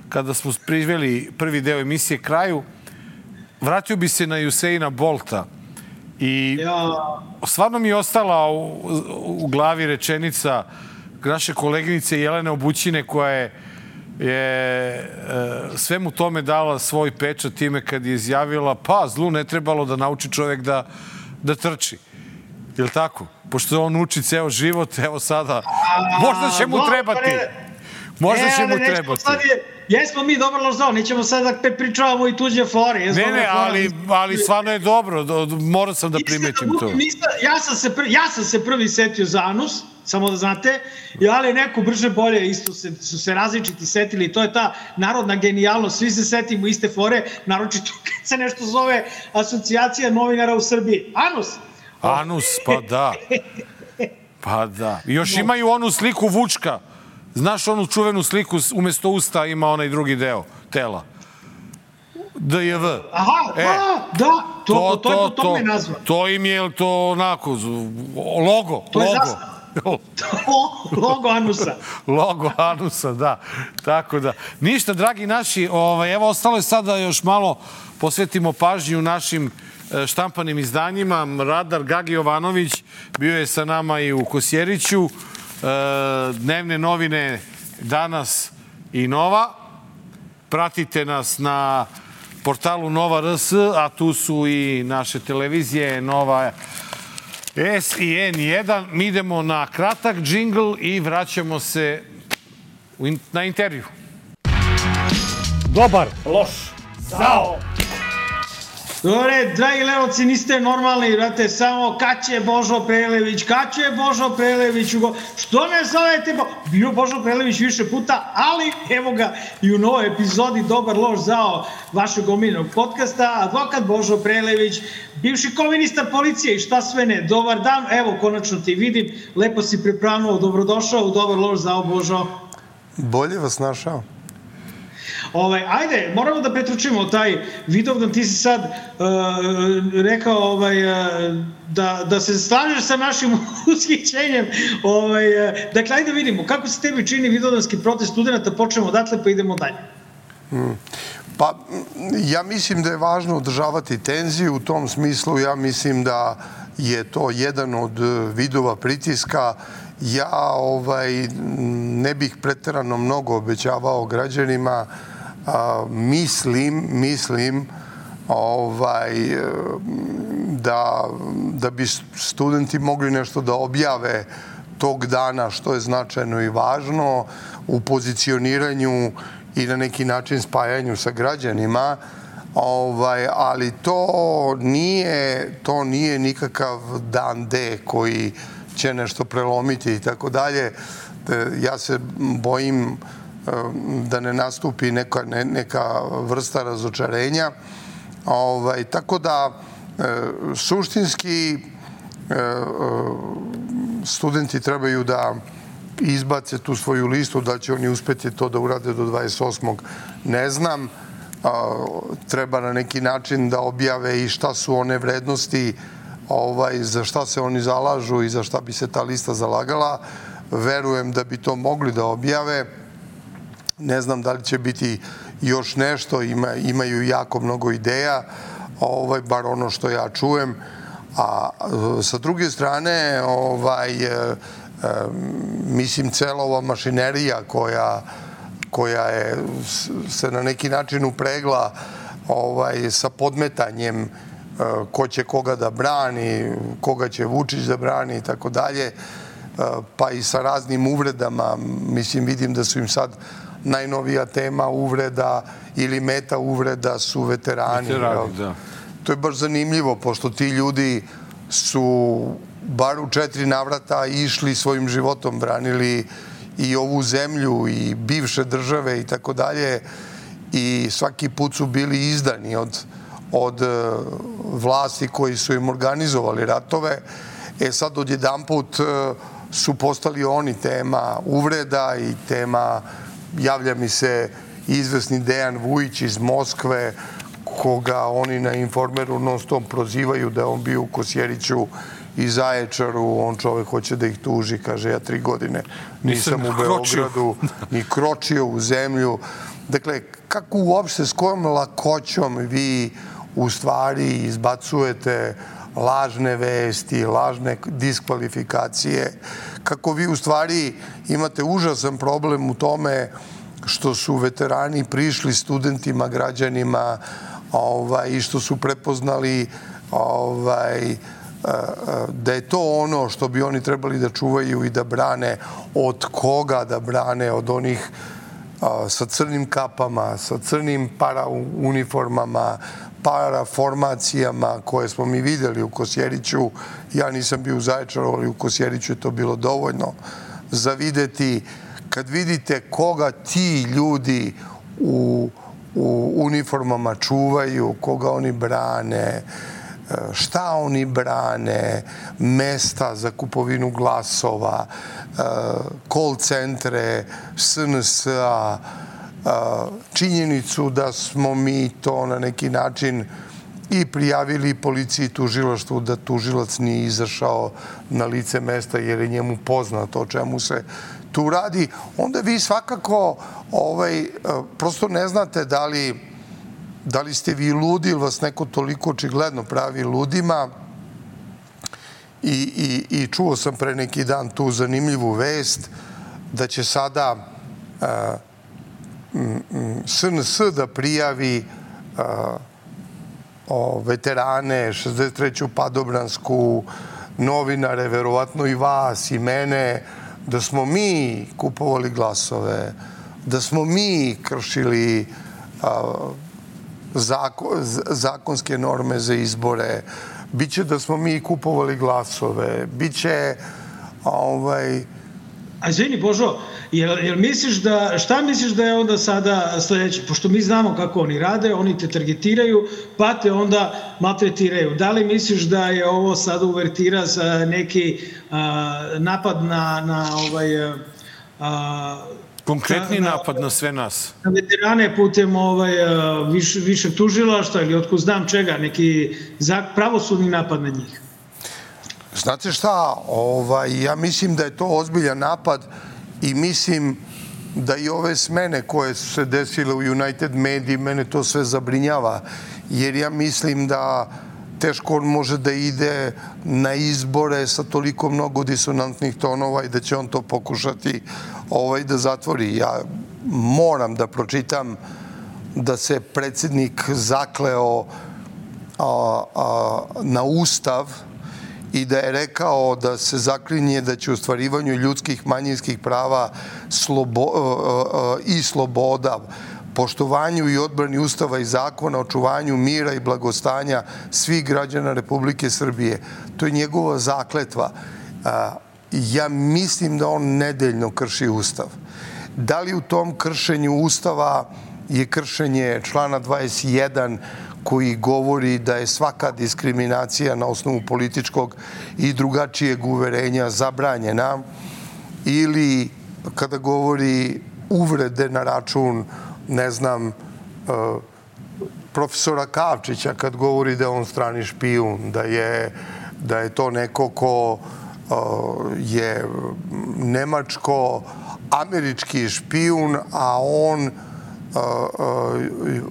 kada smo priveli prvi deo emisije kraju, vratio bi se na Usaina Bolta. I stvarno mi je ostala u, u glavi rečenica naše koleginice Jelene Obućine, koja je je e, svemu tome dala svoj pečat time kad je izjavila pa zlu ne trebalo da nauči čovjek da, da trči. Je li tako? Pošto on uči ceo život, evo sada, možda će mu trebati. Možda će mu trebati. Jesmo mi dobro loš zao, nećemo sad da pričavamo i tuđe fore. Ne, ne, ali, ali stvarno je dobro, morao sam da primetim to. Ja sam se, ja sam se prvi setio za ANUS, samo da znate, ali neko brže bolje isto se, su se različiti setili, to je ta narodna genijalnost, svi se setimo iste fore, naročito kad se nešto zove Asocijacija novinara u Srbiji. ANUS! ANUS, pa da. Pa da. I još imaju onu sliku Vučka. Znaš onu čuvenu sliku, umjesto usta ima onaj drugi deo tela. D J V. Aha, e, da, da, to, to, to, to, to je po tome nazva. To im je to onako, logo, to logo. Je zastava. Logo anusa. Logo anusa, da. Tako da. Ništa, dragi naši, ovaj, evo ostalo je sada još malo posvetimo pažnju našim štampanim izdanjima. Radar Gagi Jovanović bio je sa nama i u Kosjeriću. Dnevne novine Danas i Nova. Pratite nas na portalu Nova R S, a tu su i naše televizije Nova S i N jedan. Mi idemo na kratak džingl i vraćamo se na intervju. Dobar, loš, zao. Dobre, dragi Lenovci, niste normalni, brate, samo kad će Božo Prelević, kad će Božo Prelević, što ne zovete, bio Božo Prelević više puta, ali evo ga i u novoj epizodi Dobar, loš, zao vašeg omiljenog podcasta, advokat Božo Prelević, bivši komunista policije i šta sve ne. Dobar dan, evo, konačno ti vidim, lepo si pripravno, dobrodošao u Dobar, loš, zao, Božo. Bolje vas našao. Ovaj, ajde, moramo da pretručimo taj Vidovdan, ti si sad uh, rekao ovaj, uh, da, da se slažeš sa našim ushićenjem. Ovaj, uh, dakle, ajde vidimo, kako se tebi čini Vidovdanski protest studenta, počnemo odatle pa idemo dalje. Hmm. Pa, ja mislim da je važno održavati tenziju, u tom smislu ja mislim da je to jedan od vidova pritiska. Ja ovaj, ne bih preterano mnogo obećavao građanima. A, mislim, mislim ovaj, da, da bi studenti mogli nešto da objave tog dana što je značajno i važno u pozicioniranju i na neki način spajanju sa građanima, ovaj, ali to nije, to nije nikakav dan D koji će nešto prelomiti i tako dalje. Ja se bojim da ne nastupi neka, ne, neka vrsta razočarenja. Ovaj, tako da, e, suštinski, e, studenti trebaju da izbace tu svoju listu, da će oni uspeti to da urade do dvadeset osmog ne znam. A, treba na neki način da objave i šta su one vrednosti, ovaj, za šta se oni zalažu i za šta bi se ta lista zalagala. Verujem da bi to mogli da objave. Ne znam da li će biti još nešto, ima, imaju jako mnogo ideja, ovaj, bar ono što ja čujem. A sa druge strane, ovaj, e, e, mislim, cela ova mašinerija koja, koja je se na neki način upregla ovaj, sa podmetanjem e, ko će koga da brani, koga će Vučić da brani i tako dalje, pa i sa raznim uvredama. Mislim, vidim da su im sad najnovija tema uvreda ili meta uvreda su veterani. Veterani, da. To je baš zanimljivo, pošto ti ljudi su bar u četiri navrata išli svojim životom, branili i ovu zemlju i bivše države i tako dalje, i svaki put su bili izdani od, od vlasti koji su im organizovali ratove. E sad odjedanput su postali oni tema uvreda i tema, javlja mi se izvesni Dejan Vujić iz Moskve, koga oni na Informeru non stop prozivaju da je on bio u Kosjeriću i Zaječaru. On čovek hoće da ih tuži, kaže, ja tri godine nisam u Beogradu, ni kročio u zemlju. Dakle, kako uopšte, s kojom lakoćom vi u stvari izbacujete lažne vesti, lažne diskvalifikacije, kako vi u stvari imate užasan problem u tome što su veterani prišli studentima, građanima, ovaj, i što su prepoznali ovaj, da je to ono što bi oni trebali da čuvaju i da brane. Od koga da brane? Od onih sa crnim kapama, sa crnim parauniformama, paraformacijama koje smo mi videli u Kosjeriću. Ja nisam bio u Zaječaru, ali u Kosjeriću je to bilo dovoljno za videti. Kad vidite koga ti ljudi u, u uniformama čuvaju, koga oni brane, šta oni brane, mesta za kupovinu glasova, call centre, S N S-a, činjenicu da smo mi to na neki način i prijavili policiji i tužilaštvu da tužilac nije izašao na lice mesta jer je njemu poznato o čemu se tu radi, onda vi svakako ovaj, prosto ne znate da li, da li ste vi ludi ili vas neko toliko očigledno pravi ludima. I, i, i čuo sam pre neki dan tu zanimljivu vest da će sada uh, S N S da prijavi uh, o, veterane, šezdeset treću padobransku, novinare, verovatno i vas i mene, da smo mi kupovali glasove, da smo mi kršili uh, zako, zakonske norme za izbore, biće da smo mi kupovali glasove, biće ovaj... A izvini, Božo, jel, jel misliš da, šta misliš da je onda sada sledeće? Pošto mi znamo kako oni rade, oni te targetiraju, pa te onda maltretiraju. Da li misliš da je ovo sada uvertira za neki a, napad na, na ovaj... A, konkretni na, napad na sve nas. Na veterane putem ovaj, više, više tužilaštva ili otko znam čega, neki pravosudni napad na njih? Znate šta, ovaj, ja mislim da je to ozbiljan napad i mislim da i ove smene koje su se desile u United Media, mene to sve zabrinjava, jer ja mislim da teško on može da ide na izbore sa toliko mnogo disonantnih tonova i da će on to pokušati ovaj, da zatvori. Ja moram da pročitam da se predsjednik zakleo a, a, na Ustav i da je rekao da se zaklinje da će u ostvarivanju ljudskih manjinskih prava slobo, i sloboda, poštovanju i odbrani Ustava i zakona, očuvanju mira i blagostanja svih građana Republike Srbije. To je njegova zakletva. Ja mislim da on nedeljno krši Ustav. Da li u tom kršenju Ustava je kršenje člana dvadeset jedan koji govori da je svaka diskriminacija na osnovu političkog i drugačijeg uverenja zabranjena, ili kada govori uvrede na račun, ne znam, profesora Kavčića, kad govori da je on strani špijun, da je, da je to neko ko je nemačko-američki špijun, a on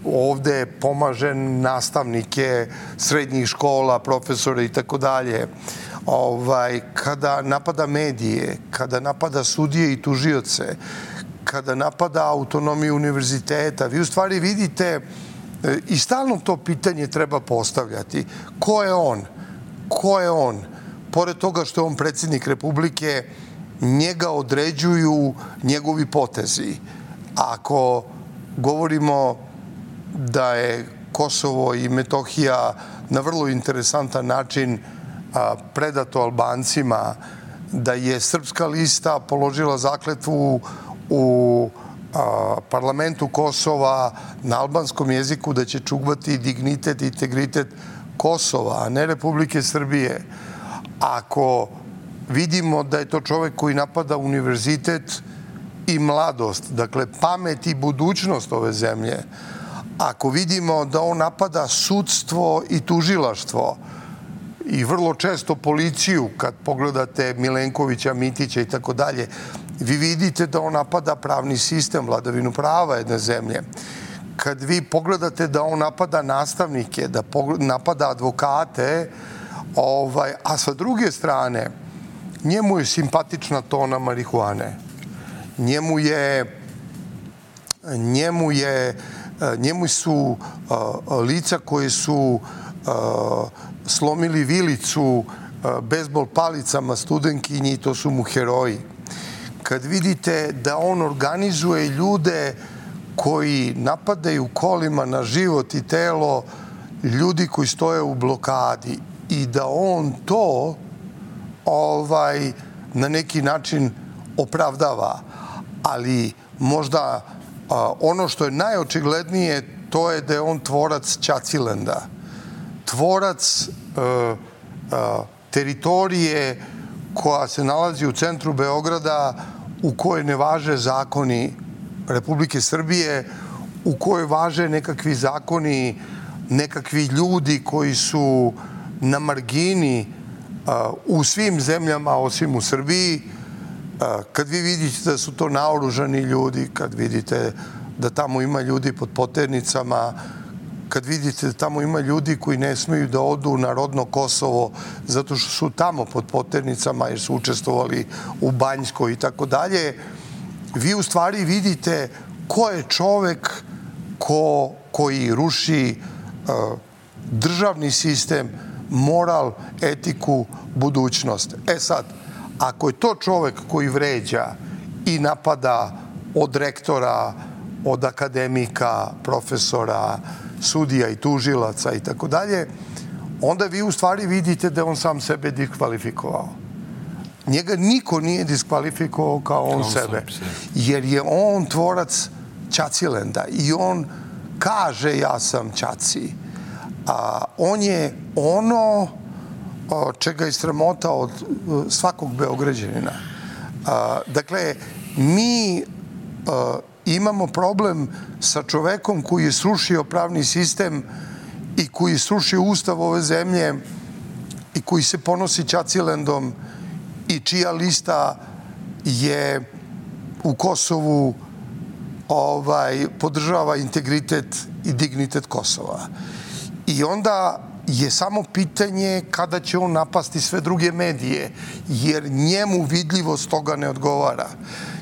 ovde pomaže nastavnike srednjih škola, profesore i tako dalje. Kada napada medije, kada napada sudije i tužioce, kada napada autonomiju univerziteta, vi u stvari vidite i stalno to pitanje treba postavljati. Ko je on? Ko je on? Pored toga što je on predsjednik Republike, njega određuju njegovi potezi. Ako govorimo da je Kosovo i Metohija na vrlo interesantan način predato Albancima, da je Srpska lista položila zakletvu u parlamentu Kosova na albanskom jeziku da će čuvati dignitet i integritet Kosova, a ne Republike Srbije. Ako vidimo da je to čovek koji napada univerzitet i mladost, dakle pamet i budućnost ove zemlje, ako vidimo da on napada sudstvo i tužilaštvo i vrlo često policiju, kad pogledate Milenkovića, Mitića i tako dalje, vi vidite da on napada pravni sistem, vladavinu prava jedne zemlje. Kad vi pogledate da on napada nastavnike, da napada advokate, ovaj, a sa druge strane, njemu je simpatična tona marihuane. Njemu je, njemu je, njemu su lica koje su slomili vilicu bejzbol palicama studentkinji, to su mu heroji. Kad vidite da on organizuje ljude koji napadaju kolima na život i telo ljudi koji stoje u blokadi i da on to ovaj, na neki način opravdava. Ali možda a, ono što je najočiglednije, to je da je on tvorac Ćacilenda. Tvorac a, a, teritorije koja se nalazi u centru Beograda, u kojoj ne važe zakoni Republike Srbije, u kojoj važe nekakvi zakoni nekakvi ljudi koji su na margini u svim zemljama osim u Srbiji, kad vi vidite da su to naoružani ljudi, kad vidite da tamo ima ljudi pod poternicama, kad vidite da tamo ima ljudi koji ne smeju da odu na rodno Kosovo zato što su tamo pod poternicama jer su učestvovali u Banjskoj i tako dalje, vi u stvari vidite ko je čovek ko, koji ruši uh, državni sistem, moral, etiku, budućnost. E sad, ako je to čovek koji vređa i napada od rektora, od akademika, profesora, sudija i tužilaca i tako dalje, onda vi u stvari vidite da on sam sebe diskvalifikovao. Njega niko nije diskvalifikovao kao on sebe, jer je on tvorac Ćacilenda i on kaže ja sam Ćaci. A on je ono čega je sramota od svakog Beograđanina. A, dakle, mi a, imamo problem sa čovekom koji je srušio pravni sistem i koji je srušio ustav ove zemlje i koji se ponosi Ćacilendom i čija lista je u Kosovu ovaj, podržava integritet i dignitet Kosova. I onda je samo pitanje kada će on napasti sve druge medije, jer njemu vidljivost toga ne odgovara.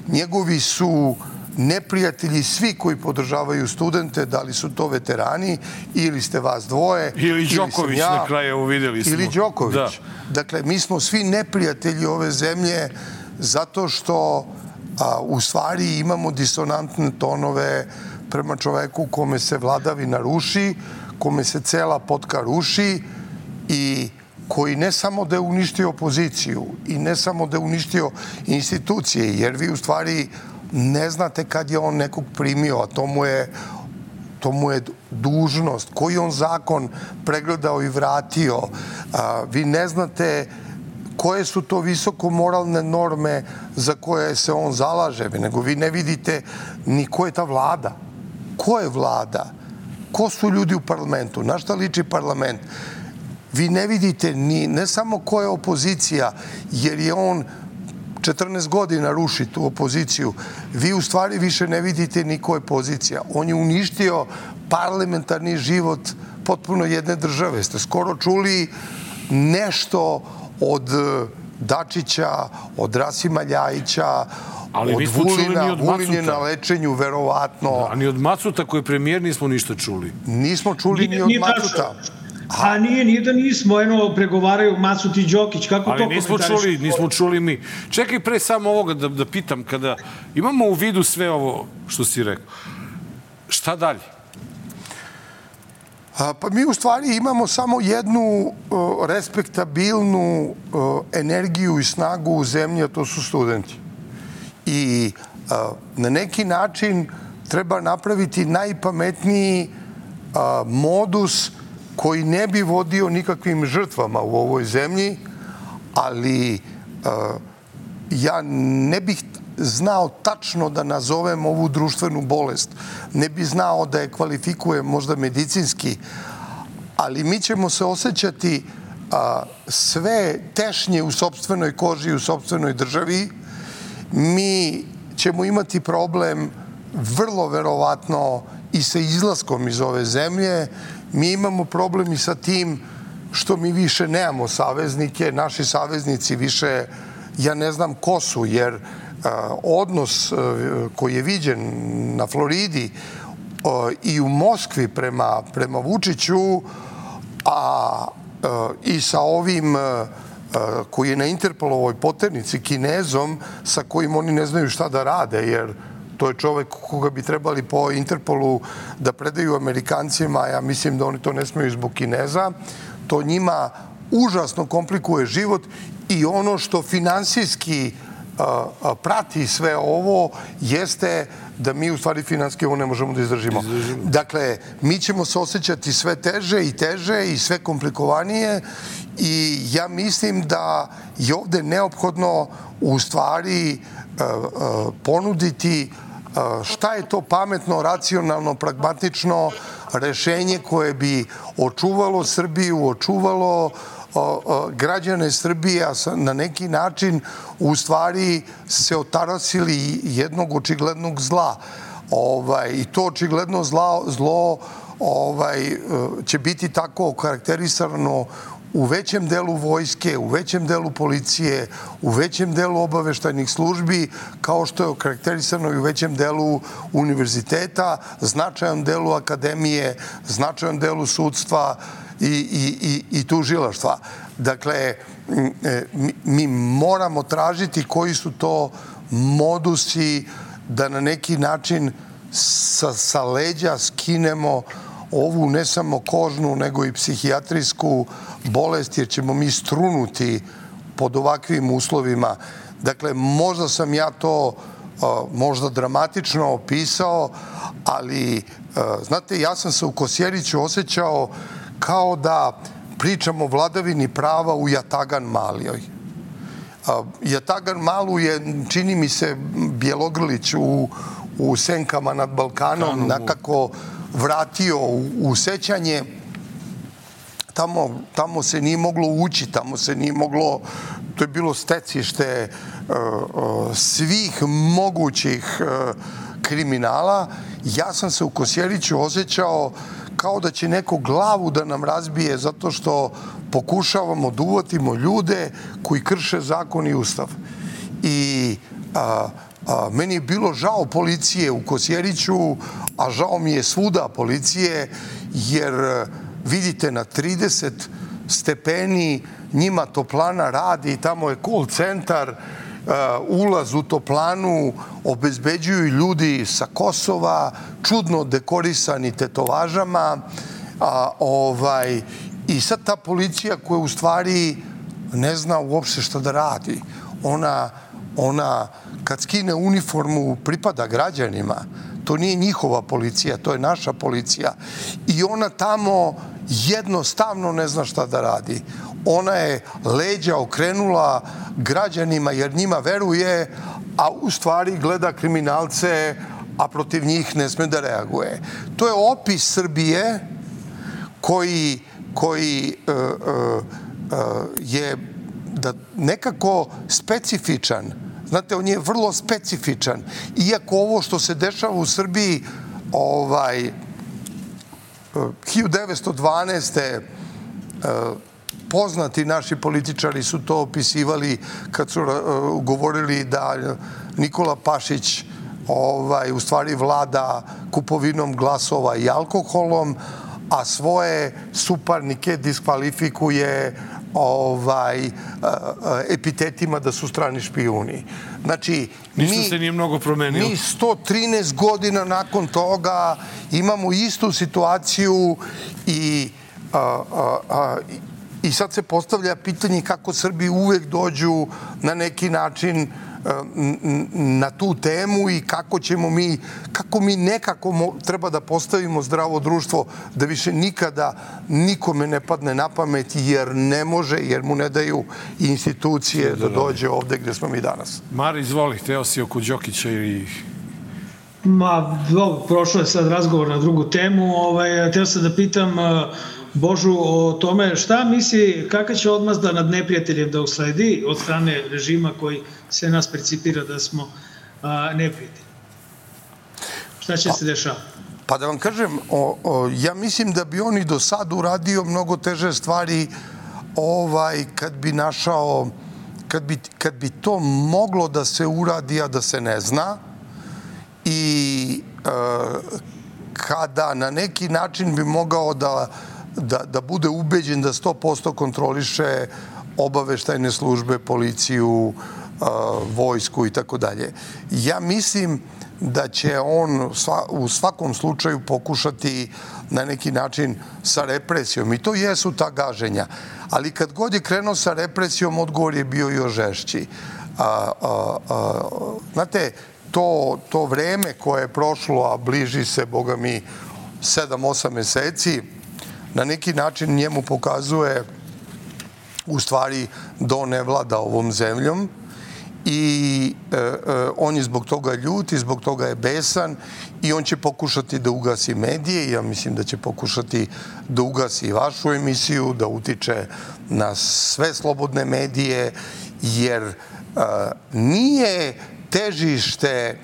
Njegovi su neprijatelji svi koji podržavaju studente, da li su to veterani, ili ste vas dvoje, ili Đoković, ja, na kraju vidjeli smo. Ili Đoković. Da. Dakle, mi smo svi neprijatelji ove zemlje zato što a, u stvari imamo disonantne tonove prema čoveku kome se vladavina ruši, kome se cela potka ruši i koji ne samo da je uništio opoziciju i ne samo da je uništio institucije, jer vi u stvari ne znate kad je on nekog primio, a to mu je, to mu je dužnost, koji on zakon pregledao i vratio. A, vi ne znate koje su to visoko moralne norme za koje se on zalaže, nego vi ne vidite ni ko je ta vlada. Ko je vlada? Ko su ljudi u parlamentu? Na šta liči parlament? Vi ne vidite ni, ne samo ko je opozicija, jer je on četrnaest godina ruši tu opoziciju. Vi u stvari više ne vidite ni ko je pozicija. On je uništio parlamentarni život potpuno jedne države. Ste skoro čuli nešto od Dačića, od Rasima Ljajića, ali od Vulina, Vulin je na lečenju, verovatno. Da, ni od Macuta koji je premijer nismo ništa čuli. Nismo čuli ni od Macuta. A nije, nije da nismo, eno, pregovaraju Macut i Đokić, kako ali to nismo čuli, nismo čuli mi. Čekaj pre samo ovoga da, da pitam, kada imamo u vidu sve ovo što si rekao, šta dalje? A, pa mi u stvari imamo samo jednu uh, respektabilnu uh, energiju i snagu u zemlji, a to su studenti. I uh, na neki način treba napraviti najpametniji uh, modus koji ne bi vodio nikakvim žrtvama u ovoj zemlji, ali uh, ja ne bih znao tačno da nazovem ovu društvenu bolest. Ne bih znao da je kvalifikujem možda medicinski, ali mi ćemo se osjećati a, sve tešnje u sopstvenoj koži, u sopstvenoj državi. Mi ćemo imati problem vrlo verovatno i sa izlaskom iz ove zemlje. Mi imamo problem i sa tim što mi više nemamo saveznike. Naši saveznici više, ja ne znam ko su, jer odnos koji je viđen na Floridi i u Moskvi prema, prema Vučiću, a i sa ovim koji je na Interpolovoj poternici, Kinezom, sa kojim oni ne znaju šta da rade, jer to je čovek koga bi trebali po Interpolu da predaju Amerikancima, ja mislim da oni to ne smeju zbog Kineza. To njima užasno komplikuje život i ono što finansijski prati sve ovo jeste da mi u stvari finanski ovo ne možemo da izdržimo. Dakle, mi ćemo se osjećati sve teže i teže i sve komplikovanije i ja mislim da je ovde neophodno u stvari ponuditi šta je to pametno, racionalno, pragmatično, rešenje koje bi očuvalo Srbiju, očuvalo građane Srbije, a na neki način u stvari se otarasili jednog očiglednog zla. I to očigledno zlo će biti tako okarakterisano u većem delu vojske, u većem delu policije, u većem delu obaveštajnih službi, kao što je okarakterisano i u većem delu univerziteta, značajan delu akademije, značajan delu sudstva i tužilaštva. Dakle, mi moramo tražiti koji su to modusi da na neki način sa leđa skinemo ovu ne samo kožnu, nego i psihijatrijsku bolest, jer ćemo mi strunuti pod ovakvim uslovima. Dakle, možda sam ja to možda dramatično opisao, ali, znate, ja sam se u Kosjeriću osjećao kao da pričamo o vladavini prava u Jatagan Malijoj. Jatagan Malu je, čini mi se, Bjelogrlić u Senkama nad Balkanom nekako vratio u sećanje. Tamo se nije moglo ući, tamo se nije moglo, to je bilo stecište svih mogućih kriminala. Ja sam se u Kosjeriću osjećao kao da će neko glavu da nam razbije zato što pokušavamo da uvatimo ljude koji krše zakon i ustav. I meni je bilo žao policije u Kosjeriću, a žao mi je svuda policije, jer vidite na trideset stepeni njima toplana radi, tamo je call centar, ulaz u toplanu obezbeđuju ljudi sa Kosova, čudno dekorisani tetovažama, i sad ta policija koja u stvari ne zna uopšte šta da radi. Ona, ona kad skine uniformu pripada građanima. To nije njihova policija, to je naša policija. I ona tamo jednostavno ne zna šta da radi. Ona je leđa okrenula građanima jer njima veruje, a u stvari gleda kriminalce, a protiv njih ne sme da reaguje. To je opis Srbije koji, koji uh, uh, uh, je da nekako specifičan. Znate, on je vrlo specifičan. Iako ovo što se dešava u Srbiji, ovaj, hiljadu devetsto dvanaeste. poznati naši političari su to opisivali kad su govorili da Nikola Pašić ovaj, u stvari vlada kupovinom glasova i alkoholom, a svoje suparnike diskvalifikuje ovaj, epitetima da su strani špijuni. Znači, ništa se nije mnogo promenilo. Mi sto trinaest godina nakon toga imamo istu situaciju i, a, a, a, i sad se postavlja pitanje kako Srbi uvek dođu na neki način na tu temu i kako ćemo mi, kako mi nekako treba da postavimo zdravo društvo da više nikada nikome ne padne na pamet jer ne može, jer mu ne daju institucije da dođe ovde gde smo mi danas. Mari, izvoli, teo si oko Đokića i... Ma, dobro, prošlo je sad razgovor na drugu temu. Ovaj, teo sam da pitam Božu o tome šta misli, kakva će odmazda nad neprijateljem da usledi od strane režima koji se nas percipira da smo a, neprijatelji. Šta će se dešavati? Pa da vam kažem, o, o, ja mislim da bi on i do sad uradio mnogo teže stvari ovaj, kad bi našao, kad bi, kad bi to moglo da se uradi, a da se ne zna i e, kada na neki način bi mogao da Da, da bude ubeđen da sto posto kontroliše obaveštajne službe, policiju, vojsku i tako dalje. Ja mislim da će on u svakom slučaju pokušati na neki način sa represijom. I to jesu ta gaženja. Ali kad god je krenuo sa represijom, odgovor je bio još žešći. A, a, a, znate, to, to vreme koje je prošlo, a bliži se, boga mi, sedam osam meseci, na neki način njemu pokazuje u stvari da on ne vlada ovom zemljom i e, e, on je zbog toga ljut i zbog toga je besan i on će pokušati da ugasi medije. Ja mislim da će pokušati da ugasi vašu emisiju, da utiče na sve slobodne medije, jer e, nije težište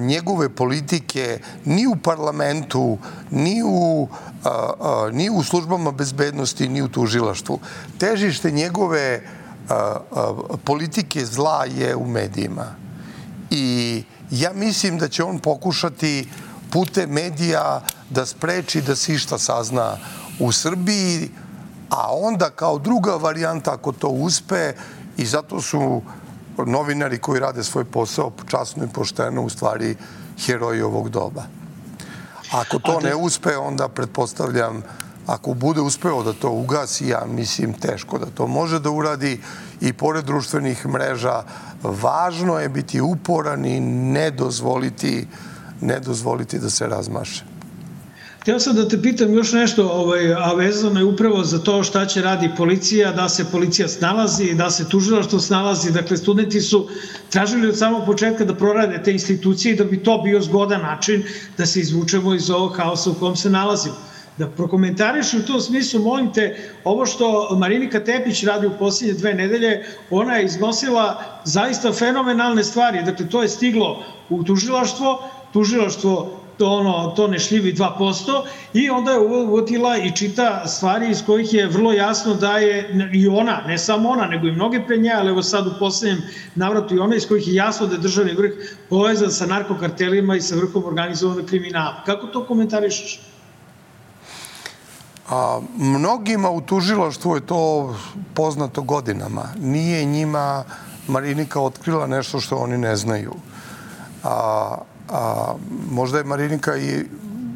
njegove politike ni u parlamentu, ni u, a, a, ni u službama bezbednosti, ni u tužilaštvu. Težište njegove a, a, politike zla je u medijima. I ja mislim da će on pokušati putem medija da spreči da se išta sazna u Srbiji, a onda kao druga varijanta, ako to uspe, i zato su novinari koji rade svoj posao časno i pošteno u stvari heroji ovog doba. Ako to ne uspe, onda pretpostavljam, ako bude uspeo da to ugasi, ja mislim teško da to može da uradi, i pored društvenih mreža važno je biti uporan i ne dozvoliti, ne dozvoliti da se razmaše. Htio sam da te pitam još nešto, ovaj, a vezano je upravo za to šta će radi policija, da se policija snalazi, da se tužilaštvo snalazi. Dakle, studenti su tražili od samog početka da prorade te institucije i da bi to bio zgodan način da se izvučemo iz ovog haosa u kom se nalazimo. Da prokomentariš u tom smislu, molim te, ovo što Marinika Tepić radi u posljednje dve nedelje, ona je iznosila zaista fenomenalne stvari. Dakle, to je stiglo u tužilaštvo, tužilaštvo to, ono, to ne šljivi dva posto, i onda je uvodila i čita stvari iz kojih je vrlo jasno da je i ona, ne samo ona, nego i mnoge pre nje, ali evo sad u posljednjem navratu i ona, iz kojih je jasno da je državni vrh povezan sa narkokartelima i sa vrhom organizovanog kriminala. Kako to komentarišeš? A, mnogima u tužilaštvu je to poznato godinama. Nije njima Marinika otkrila nešto što oni ne znaju. A, a možda je Marinika i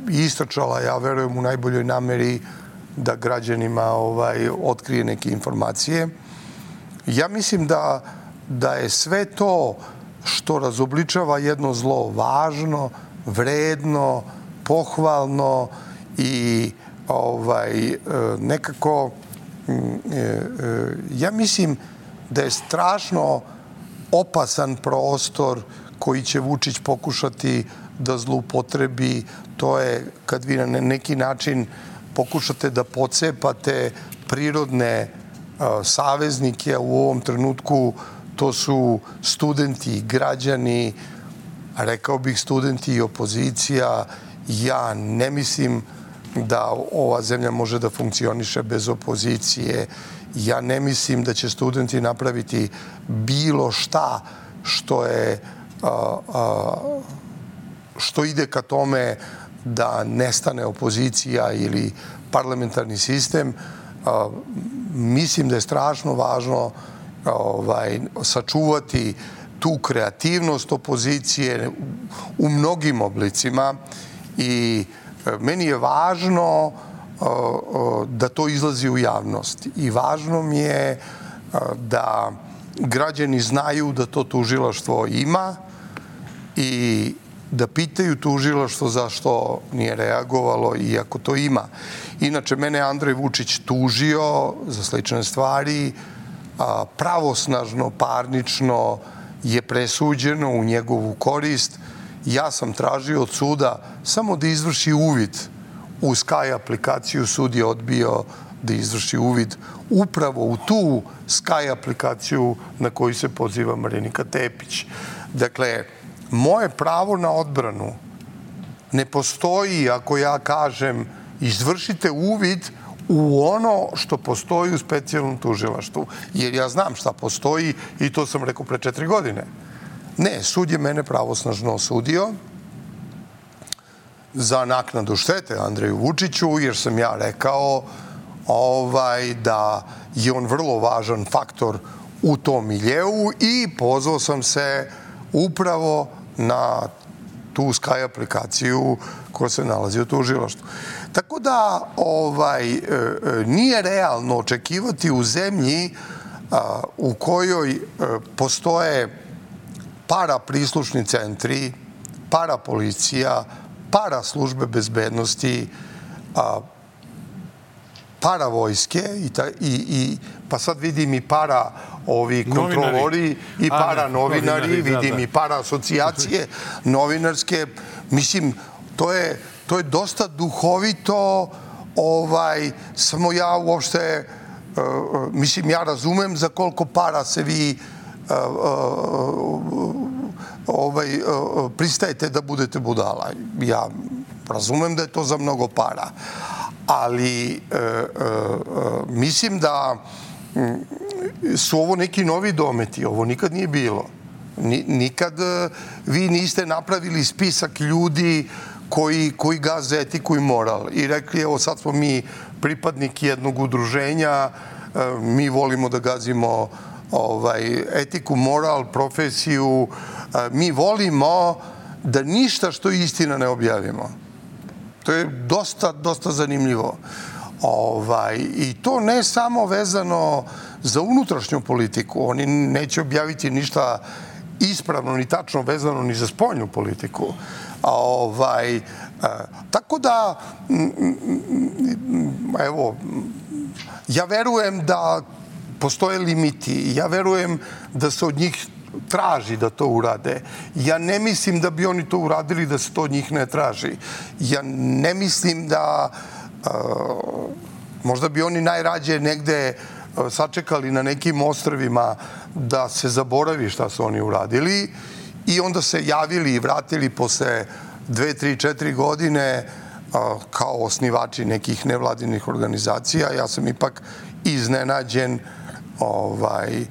istračala, ja verujem, u najboljoj nameri da građanima ovaj, otkrije neke informacije. Ja mislim da, da je sve to što razobličava jedno zlo važno, vredno, pohvalno i ovaj, nekako, ja mislim da je strašno opasan prostor koji će Vučić pokušati da zloupotrebi. To je kad vi na neki način pokušate da pocepate prirodne saveznike, a u ovom trenutku to su studenti, građani, rekao bih studenti i opozicija. Ja ne mislim da ova zemlja može da funkcioniše bez opozicije. Ja ne mislim da će studenti napraviti bilo šta što je a, a, što ide ka tome da nestane opozicija ili parlamentarni sistem. A, mislim da je strašno važno ovaj, sačuvati tu kreativnost opozicije u mnogim oblicima i meni je važno da to izlazi u javnost i važno mi je da građani znaju da to tužilaštvo ima i da pitaju tužilaštvo zašto nije reagovalo iako to ima. Inače, mene Andrej Vučić tužio za slične stvari, pravosnažno, parnično je presuđeno u njegovu korist. Ja sam tražio od suda samo da izvrši uvid u Sky aplikaciju. Sud je odbio da izvrši uvid upravo u tu Sky aplikaciju na koju se poziva Marinika Tepić. Dakle, moje pravo na odbranu ne postoji ako ja kažem izvršite uvid u ono što postoji u specijalnom tužilaštvu. Jer ja znam šta postoji i to sam rekao pre četiri godine. Ne, sud je mene pravosnažno osudio za naknadu štete Andreju Vučiću, jer sam ja rekao ovaj, da je on vrlo važan faktor u tom miljeu i pozvao sam se upravo na tu Sky aplikaciju koja se nalazi u tužilaštvu. Tako da ovaj, nije realno očekivati u zemlji a, u kojoj a, postoje para prislušni centri, para policija, para službe bezbednosti, a, para vojske i, ta, i, i pa sad vidim i para ovi kontrolori i para novinari, vidim i para asocijacije novinarske. Mislim, to je, to je dosta duhovito, ovaj, samo ja uopšte, uh, mislim, ja razumem za koliko para se vi uh, uh, ovaj, uh, pristajete da budete budala. Ja razumem da je to za mnogo para, ali uh, uh, mislim da su ovo neki novi dometi, ovo nikad nije bilo. Nikad vi niste napravili spisak ljudi koji, koji gaze etiku i moral i rekli, evo sad smo mi pripadnik jednog udruženja, mi volimo da gazimo ovaj, etiku, moral, profesiju, mi volimo da ništa što je istina ne objavimo. To je dosta, dosta zanimljivo. Ovaj, i to ne samo vezano za unutrašnju politiku. Oni neće objaviti ništa ispravno ni tačno vezano ni za spoljnu politiku. Ovaj, tako da, evo, ja verujem da postoje limiti. Ja verujem da se od njih traži da to urade. Ja ne mislim da bi oni to uradili da se to od njih ne traži. Ja ne mislim da možda bi oni najrađe negde sačekali na nekim ostrvima da se zaboravi šta su oni uradili i onda se javili i vratili posle dve, tri, četiri godine kao osnivači nekih nevladinih organizacija. Ja sam ipak iznenađen ovaj,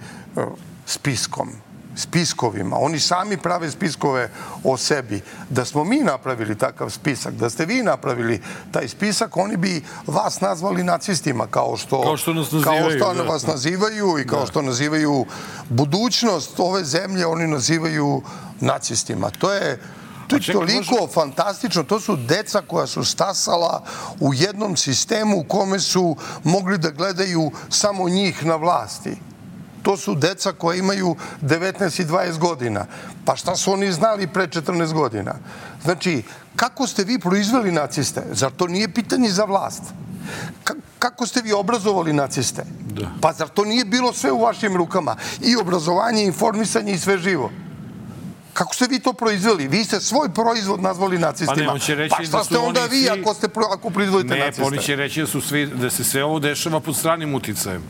spiskom. Spiskovima. Oni sami prave spiskove o sebi. Da smo mi napravili takav spisak, da ste vi napravili taj spisak, oni bi vas nazvali nacistima, kao što, kao što, nas nazivaju, kao što da, vas nazivaju i kao da. što nazivaju budućnost ove zemlje, oni nazivaju nacistima. To je To je čekaj, toliko može... fantastično. To su deca koja su stasala u jednom sistemu u kome su mogli da gledaju samo njih na vlasti. To su deca koja imaju devetnaest i dvadeset godina. Pa šta su oni znali pre četrnaest godina? Znači, kako ste vi proizveli naciste? Zar to nije pitanje za vlast? Kako ste vi obrazovali naciste? Da. Pa zar to nije bilo sve u vašim rukama? I obrazovanje, i informisanje, i sve živo. Kako ste vi to proizveli? Vi ste svoj proizvod nazvali nacistima. Pa, ne, on će reći pa šta da ste onda vi svi... ako, ste, ako proizvodite ne, naciste? Ne, oni će reći da, su svi, da se sve ovo dešava pod stranim uticajem.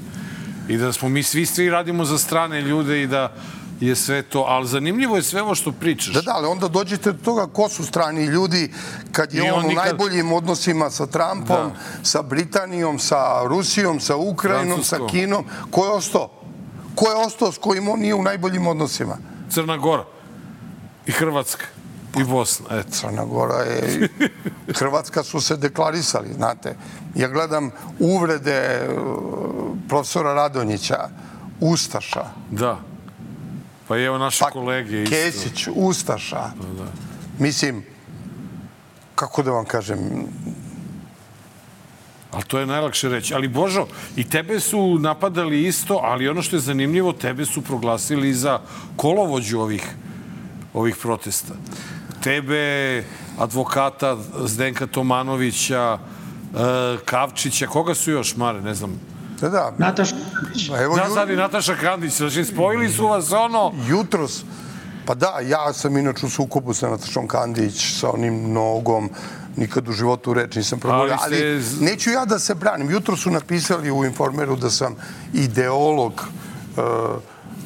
I da smo mi svi, svi radimo za strane ljude i da je sve to. Ali zanimljivo je sve ovo što pričaš. Da, da, ali onda dođete do toga ko su strani ljudi kad je on, on nikad... u najboljim odnosima sa Trumpom, da. sa Britanijom, sa Rusijom, sa Ukrajinom, Francusko. sa Kinom. Ko je ostao? Ko je ostao s kojim on nije u najboljim odnosima? Crna Gora. I Hrvatska. I Bosna, eto. Crna Gora je... Hrvatska su se deklarisali, znate. Ja gledam uvrede profesora Radonjića, Ustaša. Da. Pa evo naše pa, kolege isto. Kesić, Ustaša. Da, da. Mislim, kako da vam kažem... Ali to je najlakše reći. Ali Božo, i tebe su napadali isto, ali ono što je zanimljivo, tebe su proglasili za kolovođu ovih ovih protesta. Tebe, advokata Zdenka Tomanovića, Kavčića, koga su još, Mare, ne znam. Da, da. Nataša Kandić. Da, sad i Nataša Kandić. Znači, spojili su vas ono... Jutros, pa da, ja sam inače u sukobu sa Natašom Kandić, sa onim nogom, nikad u životu reč nisam progovorio, ali, ali ste... neću ja da se branim. Jutro su napisali u Informeru da sam ideolog uh,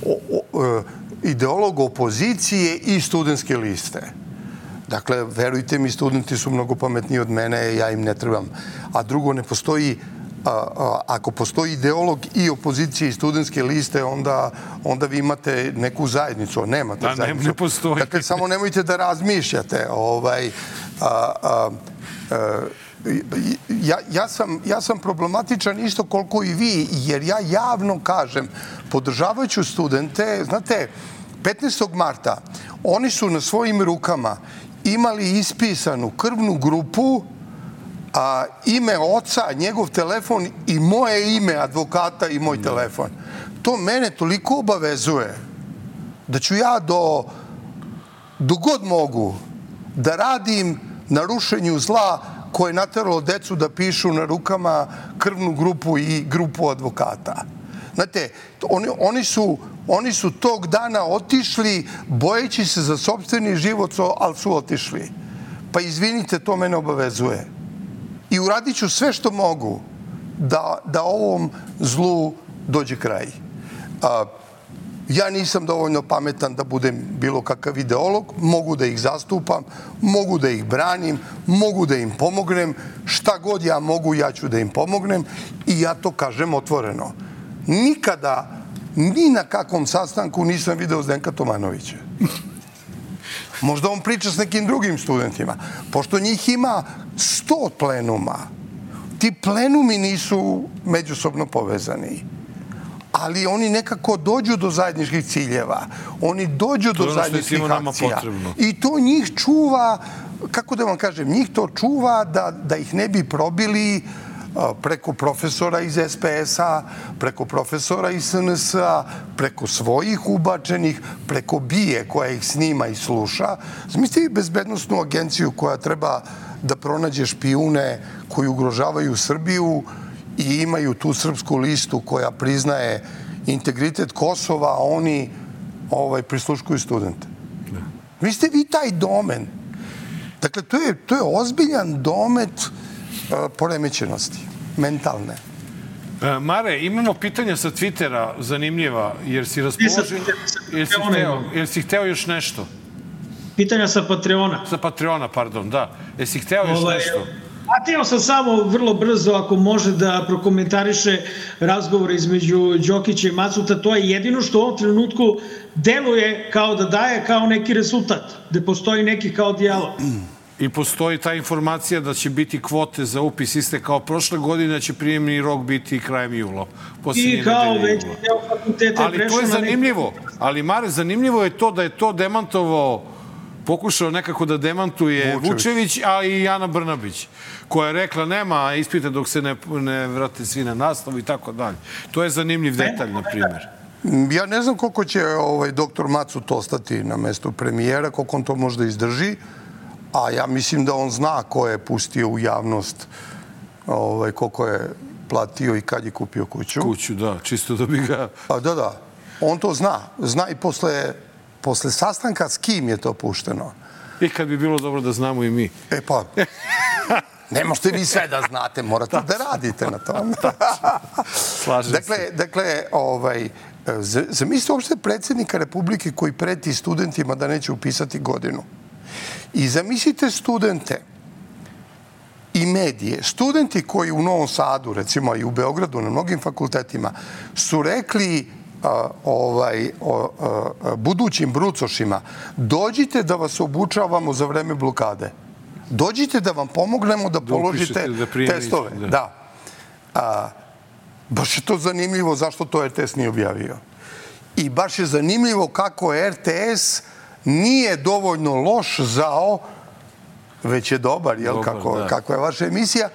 o, o, uh, ideolog opozicije i studentske liste. Dakle, verujte mi, studenti su mnogo pametniji od mene, ja im ne trebam. A drugo, ne postoji, a, a, ako postoji ideolog i opozicije i studentske liste, onda, onda vi imate neku zajednicu. Nemate da, zajednicu. Ne, ne postoji. Dakle, samo nemojte da razmišljate. Ovaj, a, a, a, Ja, ja, sam, ja sam problematičan isto koliko i vi, jer ja javno kažem, podržavajući studente, znate, petnaestog marta oni su na svojim rukama imali ispisanu krvnu grupu, a, ime oca, njegov telefon i moje ime advokata i moj telefon. To mene toliko obavezuje da ću ja do, do god mogu da radim na rušenju zla koje je nateralo decu da pišu na rukama krvnu grupu i grupu advokata. Znate, oni, oni, su, oni su tog dana otišli bojeći se za sopstveni život, ali su otišli. Pa izvinite, to mene obavezuje. I uradit ću sve što mogu da, da ovom zlu dođe kraj. A, ja nisam dovoljno pametan da budem bilo kakav ideolog, mogu da ih zastupam, mogu da ih branim, mogu da im pomognem, šta god ja mogu, ja ću da im pomognem i ja to kažem otvoreno. Nikada, ni na kakvom sastanku nisam video Zdenka Tomanovića. Možda on priča s nekim drugim studentima. Pošto njih ima sto plenuma, ti plenumi nisu međusobno povezani. Ali oni nekako dođu do zajedničkih ciljeva. Oni dođu do zajedničkih akcija. I to njih čuva, kako da vam kažem, njih to čuva da, da ih ne bi probili preko profesora iz es pe es-a, preko profesora iz es en es-a, preko svojih ubačenih, preko bije koja ih snima i sluša. Zamislite vi bezbednostnu agenciju koja treba da pronađe špijune koji ugrožavaju Srbiju i imaju tu srpsku listu koja priznaje integritet Kosova, a oni ovaj, prisluškuju studente. Vi ste vi taj domen. Dakle, to je, to je ozbiljan domet uh, poremećenosti, mentalne. E, Mare, imamo pitanja sa Twittera, zanimljiva, jer si raspoložen... Jer si hteo, jer si hteo još nešto? Pitanja sa Patreona. Sa Patreona, pardon, da. Jer si hteo još Ove, nešto? Htio sam samo vrlo brzo, ako može da prokomentariše razgovor između Đokića i Macuta. To je jedino što u ovom trenutku deluje kao da daje kao neki rezultat, da postoji neki kao dijalog. I postoji ta informacija da će biti kvote za upis iste kao prošle godine, da će prijemni rok biti krajem jula. I kao već deo fakulteta je prešao na... Ali to je zanimljivo. Ali, Mare, zanimljivo je to da je to demantovao, pokušao nekako da demantuje Vučević, Vučević a i Ana Brnabić, koja je rekla nema ispita dok se ne, ne vrate svi na nastavu i tako dalje. To je zanimljiv detalj, na primjer. Ja ne znam koliko će ovaj, doktor Macut ostati na mestu premijera, koliko on to možda izdrži, a ja mislim da on zna ko je pustio u javnost, ovaj, koliko je platio i kad je kupio kuću. Kuću, da, čisto da bi ga... A, da, da. On to zna. Zna i posle... Posle sastanka s kim je to pušteno? I kad bi bilo dobro da znamo i mi. E pa, ne možete vi sve da znate, morate da radite na tom. Slažem dakle, se. Dakle, ovaj, zamislite uopšte predsjednika Republike koji preti studentima da neće upisati godinu. I zamislite studente i medije. Studenti koji u Novom Sadu, recimo i u Beogradu, na mnogim fakultetima, su rekli A, ovaj, o, a, budućim brucošima, dođite da vas obučavamo za vreme blokade. Dođite da vam pomognemo da, da položite da testove. Da. da. A, baš je to zanimljivo zašto to er te es nije objavio. I baš je zanimljivo kako er te es nije dovoljno loš zao, već je dobar, jel, dobar, kako, kako je vaša emisija,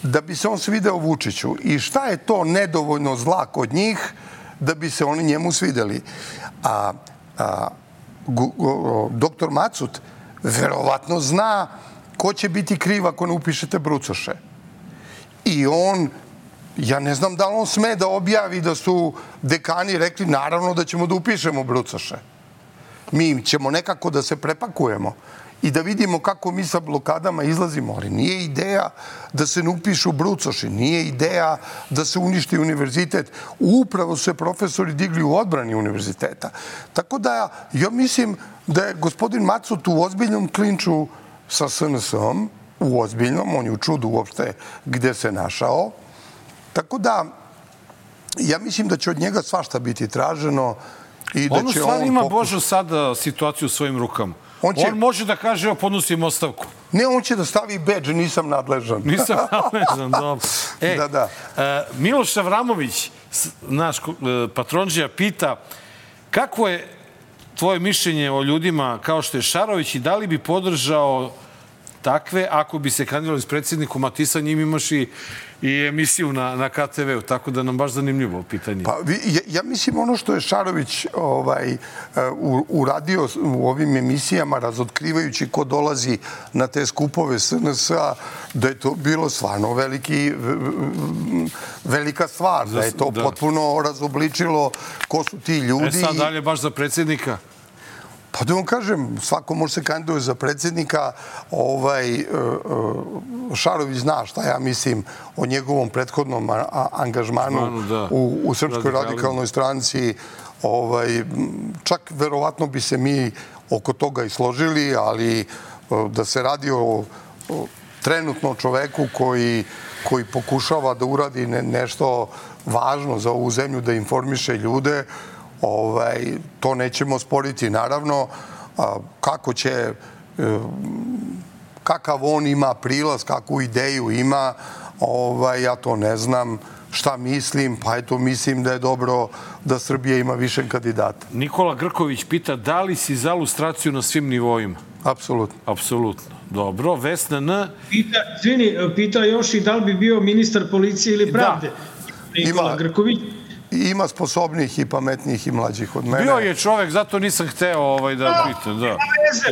da bi se on svideo Vučiću. I šta je to nedovoljno zla kod njih da bi se oni njemu svideli. A, a gu, gu, doktor Macut verovatno zna ko će biti kriv ako ne upišete brucoše. I on, ja ne znam da li on sme da objavi da su dekani rekli naravno da ćemo da upišemo brucoše. Mi ćemo nekako da se prepakujemo i da vidimo kako mi sa blokadama izlazimo. Ali nije ideja da se ne upišu brucoši, nije ideja da se uništi univerzitet. Upravo su se profesori digli u odbrani univerziteta. Tako da ja mislim da je gospodin Macut u ozbiljnom klinču sa es en es-om, u ozbiljnom, on je u čudu uopšte gde se našao. Tako da ja mislim da će od njega svašta biti traženo i da ono će stvarno on... ima, pokuš... Božo, sada situaciju u svojim rukama. On, će... on može da kaže, evo, podnosim ostavku. Ne, on će da stavi bedž, nisam nadležan. Nisam nadležan, dobro. E, da, da. Uh, Miloš Avramović, naš uh, patronđija, pita kako je tvoje mišljenje o ljudima kao što je Šarović i da li bi podržao takve. Ako bi se kandidovali s predsjednikom, a ti sa njim imaš i, i emisiju na, na K T V-u, tako da nam baš zanimljivo pitanje. Pa, vi, ja, ja mislim ono što je Šarović ovaj, u, uradio u ovim emisijama, razotkrivajući ko dolazi na te skupove S N S-a, da je to bilo stvarno veliki, velika stvar, da je to da. potpuno razobličilo ko su ti ljudi. E sad dalje baš za predsjednika? Pa da vam kažem, svako može se kandidovati za predsjednika. Ovaj, Šarović zna šta ja mislim o njegovom prethodnom angažmanu Zmanu, da. u, u Srpskoj radikalnoj stranci. Ovaj, čak verovatno bi se mi oko toga i složili, ali da se radi o, o trenutno čoveku koji, koji pokušava da uradi ne, nešto važno za ovu zemlju, da informiše ljude, Ovaj, to nećemo sporiti. Naravno, kako će, kakav on ima prilaz, kakvu ideju ima, ovaj, ja to ne znam. Šta mislim? Pa eto, mislim da je dobro da Srbija ima više kandidata. Nikola Grković pita da li si za lustraciju na svim nivoima? Apsolutno. Apsolutno. Dobro. Vesna N. Pita, zvini, pita još i da li bi bio ministar policije ili pravde? Da. Nikola ima... Grković. Ima sposobnih i pametnijih i mlađih od mene. Bio je čovek, zato nisam hteo ovaj, da pitam. Da.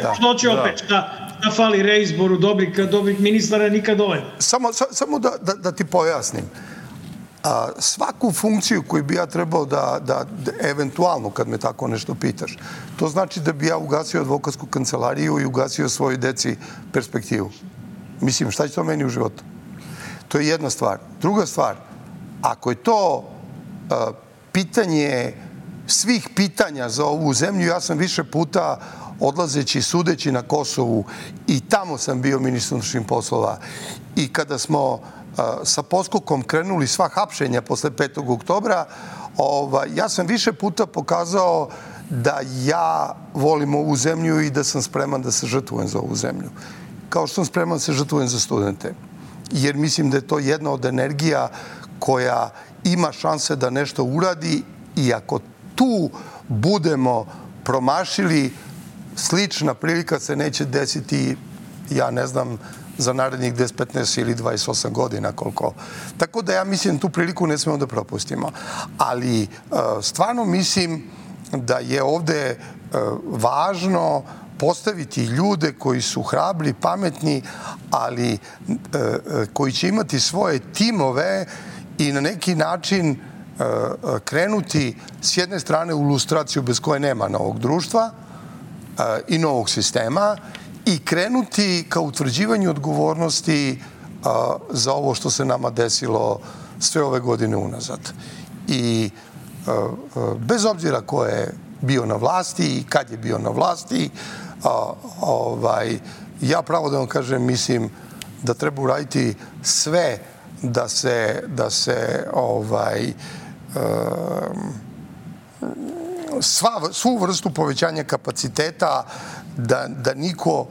Da. Što će opet? Šta, šta fali reizboru dobrih, dobrih ministara nikad dovoljno? Samo, sa, samo da, da, da ti pojasnim. A, svaku funkciju koju bi ja trebao da, da, da, eventualno, kad me tako nešto pitaš, to znači da bi ja ugasio advokatsku kancelariju i ugasio svojoj deci perspektivu. Mislim, šta će to meni u životu? To je jedna stvar. Druga stvar, ako je to pitanje svih pitanja za ovu zemlju, ja sam više puta odlazeći, sudeći na Kosovu i tamo sam bio ministar unutrašnjih poslova. I kada smo sa poskokom krenuli sva hapšenja posle petog oktobra, ovaj, ja sam više puta pokazao da ja volim ovu zemlju i da sam spreman da se žrtvujem za ovu zemlju. Kao što sam spreman da se žrtvujem za studente. Jer mislim da je to jedna od energija koja ima šanse da nešto uradi i ako tu budemo promašili, slična prilika se neće desiti, ja ne znam, za narednih deset, petnaest ili dvadeset osam godina koliko. Tako da ja mislim tu priliku ne smemo da propustimo. Ali stvarno mislim da je ovde važno postaviti ljude koji su hrabri, pametni, ali koji će imati svoje timove i na neki način krenuti s jedne strane u lustraciju bez koje nema novog društva i novog sistema i krenuti ka utvrđivanju odgovornosti za ovo što se nama desilo sve ove godine unazad. I bez obzira ko je bio na vlasti i kad je bio na vlasti, ovaj, ja pravo da vam kažem, mislim da treba uraditi sve da se, da se ovaj, sva, svu vrstu povećanja kapaciteta da, da niko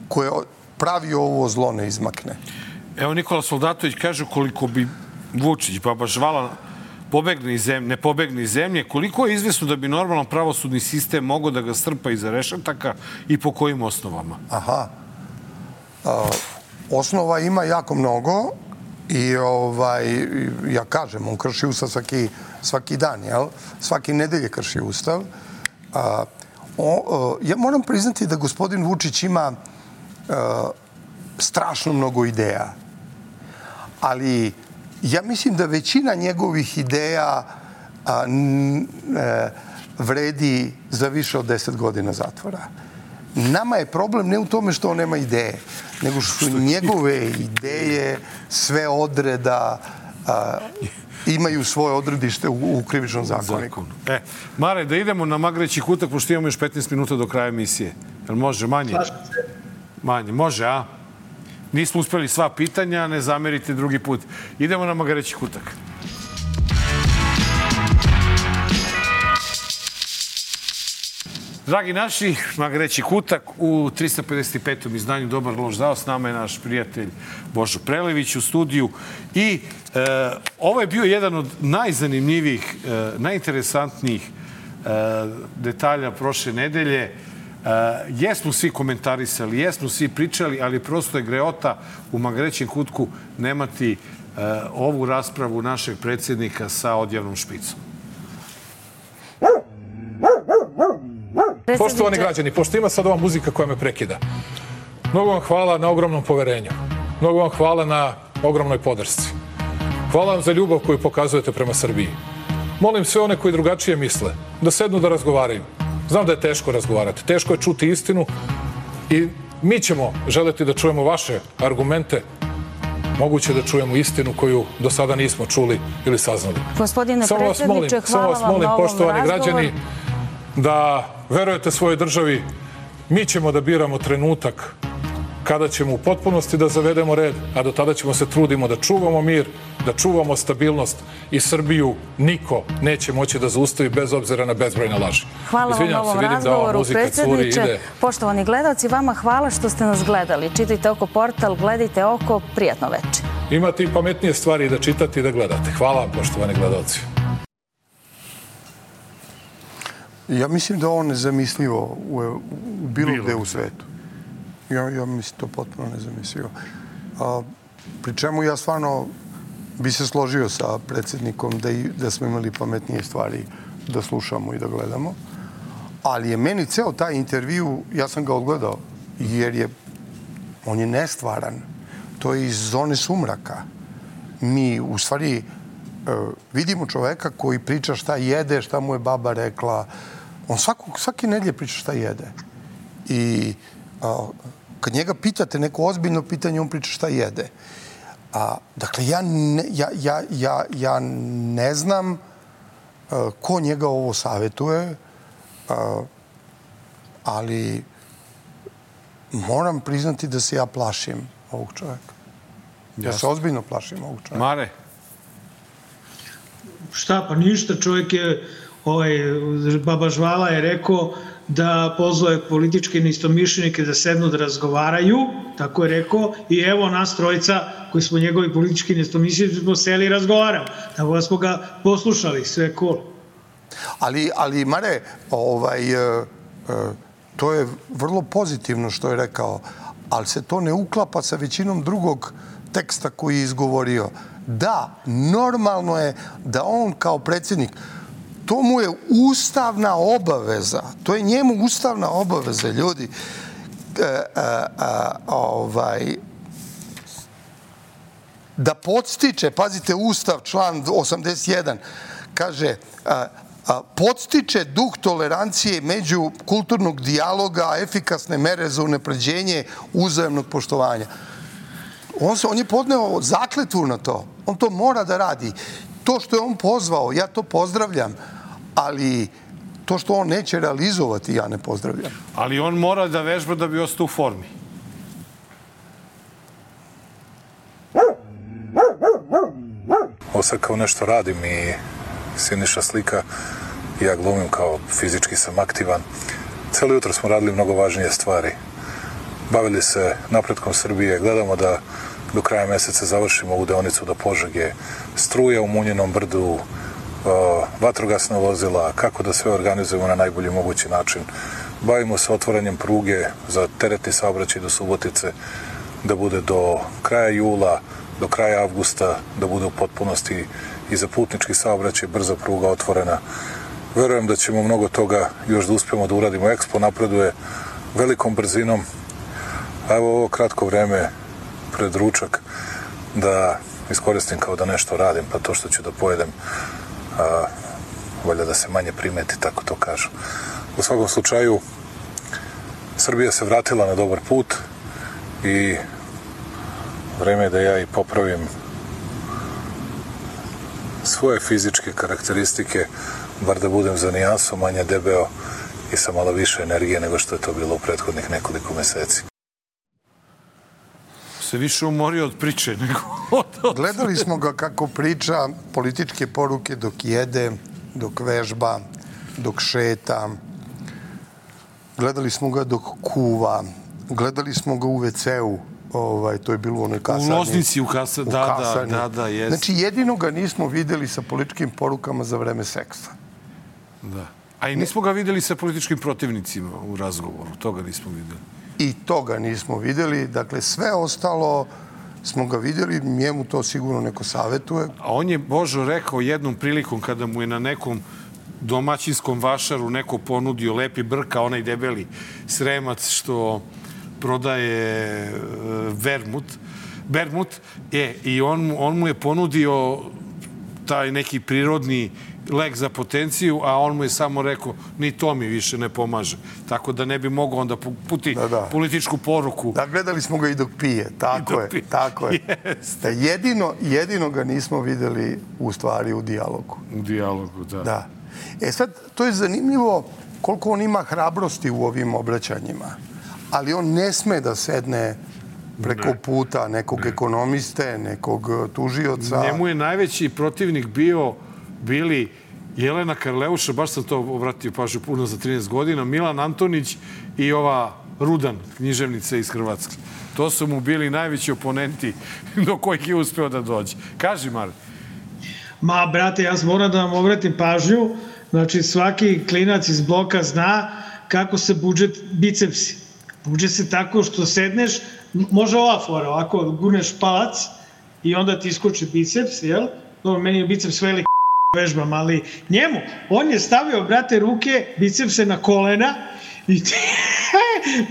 ko je pravio ovo zlo ne izmakne. Evo Nikola Soldatović kaže koliko bi Vučić, baba Žvala, pobegne iz zemlje, ne pobegne iz zemlje, koliko je izvesno da bi normalan pravosudni sistem mogao da ga strpa iza rešetaka i po kojim osnovama? Aha. A, osnova ima jako mnogo i ovaj, ja kažem, on krši ustav svaki, svaki dan, jel? Svaki nedelje krši ustav. A, o, ja moram priznati da gospodin Vučić ima a, strašno mnogo ideja, ali ja mislim da većina njegovih ideja a, n, e, vredi za više od deset godina zatvora. Nama je problem ne u tome što on nema ideje, nego što su njegove ideje sve odreda a, imaju svoje odredište u, u krivičnom zakoniku. E, Mare, da idemo na Magreći kutak, pošto imamo još petnaest minuta do kraja emisije. Jel može manje? Manje, može, a? Nismo uspeli sva pitanja, ne zamerite drugi put. Idemo na Magareći kutak. Dragi naši, Magareći kutak u trista pedeset petom izdanju Dobar loš zao. S nama je naš prijatelj Božo Prelević u studiju. I e, ovo je bio jedan od najzanimljivijih, e, najinteresantnijih e, detalja prošle nedelje. jesmo svi komentarisali, jesmo svi pričali, ali prosto je greota u magrećem kutku nemati ovu raspravu našeg predsjednika sa odjavnom špicom. Poštovani građani, pošto ima sad ova muzika koja me prekida, mnogo vam hvala na ogromnom poverenju. Mnogo vam hvala na ogromnoj podršci. Hvala vam za ljubav koju pokazujete prema Srbiji. Molim sve one koji drugačije misle da sednu da razgovaraju. Znam da je teško razgovarati, teško je čuti istinu i mi ćemo želeti da čujemo vaše argumente, moguće da čujemo istinu koju do sada nismo čuli ili saznali. Gospodine predsjedniče, hvala vam na ovom razgovoru. Poštovani građani, da verujete svojoj državi, mi ćemo da biramo trenutak kada ćemo u potpunosti da zavedemo red, a do tada ćemo se trudimo da čuvamo mir, da čuvamo stabilnost i Srbiju niko neće moći da zaustavi bez obzira na bezbrojne laži. Hvala vam na ovom razgovoru, predsjedniče. Poštovani gledalci, vama hvala što ste nas gledali. Čitajte Oko portal, gledajte Oko, prijatno večer. Imate i pametnije stvari da čitate i da gledate. Hvala vam, poštovani gledalci. Ja mislim da ovo nezamislivo u bilo gde u svetu. Ja, ja mislim to potpuno nezamislivo. A, pri čemu ja stvarno bi se složio sa predsjednikom da, i, da smo imali pametnije stvari da slušamo i da gledamo. Ali je meni ceo taj intervju, ja sam ga odgledao, jer je, on je nestvaran. To je iz zone sumraka. Mi, u stvari, vidimo čoveka koji priča šta jede, šta mu je baba rekla. On svako, svake nedelje priča šta jede. I a, kad njega pitate neko ozbiljno pitanje, on priča šta jede. A, dakle, ja ne, ja, ja, ja, ja ne znam a, ko njega ovo savjetuje, a, ali moram priznati da se ja plašim ovog čovjeka. Ja se ozbiljno plašim ovog čovjeka. Mare? Šta, pa ništa, čovjek je, ovaj, baba Žvala je rekao da pozove političke neistomišljenike da sednu da razgovaraju, tako je rekao, i evo nas trojica koji smo njegovi politički neistomišljenici smo seli i razgovaramo. Tako da smo ga poslušali, sve cool. Ali, ali Mare, ovaj, to je vrlo pozitivno što je rekao, ali se to ne uklapa sa većinom drugog teksta koji je izgovorio. Da, normalno je da on kao predsjednik, to mu je ustavna obaveza. To je njemu ustavna obaveza, ljudi. E, a, a, ovaj, da podstiče, pazite, Ustav, član osamdeset jedan, kaže, a, a, podstiče duh tolerancije među kulturnog dijaloga, efikasne mere za unapređenje uzajamnog poštovanja. On, se, on je podneo zakletvu na to. On to mora da radi. To što je on pozvao, ja to pozdravljam, ali to što on neće realizovati, ja ne pozdravljam. Ali on mora da vežba da bi ostao u formi. Ovo sad kao nešto radim i Siniša slika, ja glumim kao fizički sam aktivan. Cijelo jutro smo radili mnogo važnije stvari. Bavili se napretkom Srbije, gledamo da do kraja mjeseca završimo ovu deonicu do Požege, struja u Munjenom brdu, vatrogasna vozila, kako da sve organizujemo na najbolji mogući način. Bavimo se otvaranjem pruge za teretni saobraćaj do Subotice, da bude do kraja jula, do kraja avgusta, da bude u potpunosti i za putnički saobraćaj brza pruga otvorena. Verujem da ćemo mnogo toga još da uspijemo da uradimo. Expo napreduje velikom brzinom. A evo ovo kratko vreme pred ručak da iskoristim kao da nešto radim, pa to što ću da pojedem a, valjda da se manje primeti, tako to kažu. U svakom slučaju, Srbija se vratila na dobar put i vreme je da ja i popravim svoje fizičke karakteristike, bar da budem za nijansu manje debeo i sa malo više energije nego što je to bilo u prethodnih nekoliko meseci. Se više umorio od priče nego od... Gledali smo ga kako priča političke poruke dok jede, dok vežba, dok šeta. Gledali smo ga dok kuva. Gledali smo ga u ve ce-u. Ovaj, to je bilo u onoj kasarni. U Loznici, u kasarni. Da, da, da, da, jest. Znači, jedino ga nismo videli sa političkim porukama za vreme seksa. Da. A i nismo ga videli sa političkim protivnicima u razgovoru. Toga nismo videli. I toga nismo videli. Dakle, sve ostalo smo ga vidjeli. Njemu to sigurno neko savjetuje. A on je, Božo, rekao jednom prilikom kada mu je na nekom domaćinskom vašaru neko ponudio lepi brka, onaj debeli Sremac što prodaje vermut, bermut, e, i on, on mu je ponudio taj neki prirodni lek za potenciju, a on mu je samo rekao ni to mi više ne pomaže. Tako da ne bi mogao onda puti da, da. političku poruku. Da, gledali smo ga i dok pije. Tako dok je, pije. tako je. Da jedino, jedino ga nismo videli u stvari u dijalogu. U dijalogu, da. Da. E sad, to je zanimljivo koliko on ima hrabrosti u ovim obraćanjima. Ali on ne sme da sedne preko ne. puta nekog ne. ekonomiste, nekog tužioca. Njemu je najveći protivnik bio, bili Jelena Karleuša, baš sam to obratio pažnju puno za trinaest godina, Milan Antonić i ova Rudan, književnica iz Hrvatske. To su mu bili najveći oponenti do kojih je uspeo da dođe. Kaži, Mare. Ma, brate, ja moram da vam obratim pažnju. Znači, svaki klinac iz bloka zna kako se budžet bicepsi. Buđe se tako što sedneš, može ova fora, ovako gurneš palac i onda ti iskoči biceps, jel? Dobro, meni je biceps veliki vežbam, ali njemu, on je stavio, brate, ruke, bicepse na kolena i ti,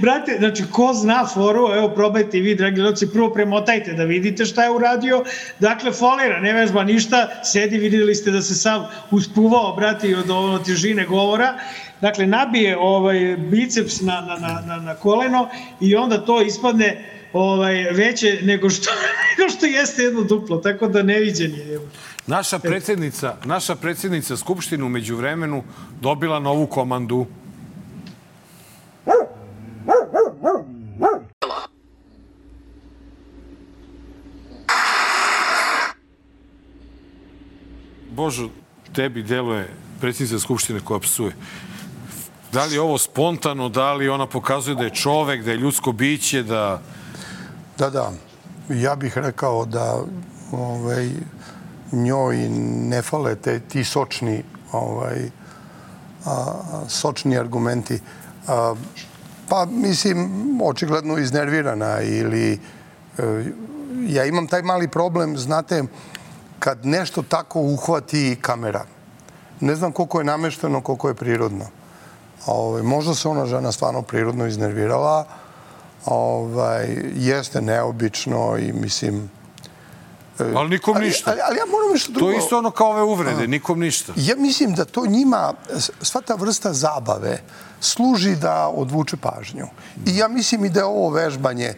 brate, znači, ko zna foru, evo, probajte i vi, dragi gledalci, prvo premotajte da vidite šta je uradio, dakle, folira, ne vežba ništa, sedi, vidjeli ste da se sam uspuvao, brate, od ono težine govora, dakle, nabije ovaj biceps na, na, na, na koleno i onda to ispadne ovaj, veće nego što, nego što jeste jedno duplo, tako da neviđen je. Naša predsjednica, naša predsjednica Skupštine u međuvremenu dobila novu komandu. Božo, tebi deluje predsjednica Skupštine koja psuje. Da li je ovo spontano, da li ona pokazuje da je čovek, da je ljudsko biće, da... Da, da. Ja bih rekao da ovaj, njoj ne fale te, ti sočni, ovaj, a, sočni argumenti. A, pa, mislim, očigledno iznervirana ili... E, ja imam taj mali problem, znate, kad nešto tako uhvati kamera. Ne znam koliko je namešteno, koliko je prirodno. Ove, možda se ona žena stvarno prirodno iznervirala. Ove, jeste neobično i mislim... Ali nikom ali, ništa. Ali, ali ja moram nešto drugo... To je isto ono kao ove uvrede, A, nikom ništa. Ja mislim da to njima, sva ta vrsta zabave, služi da odvuče pažnju. I ja mislim i da je ovo vežbanje,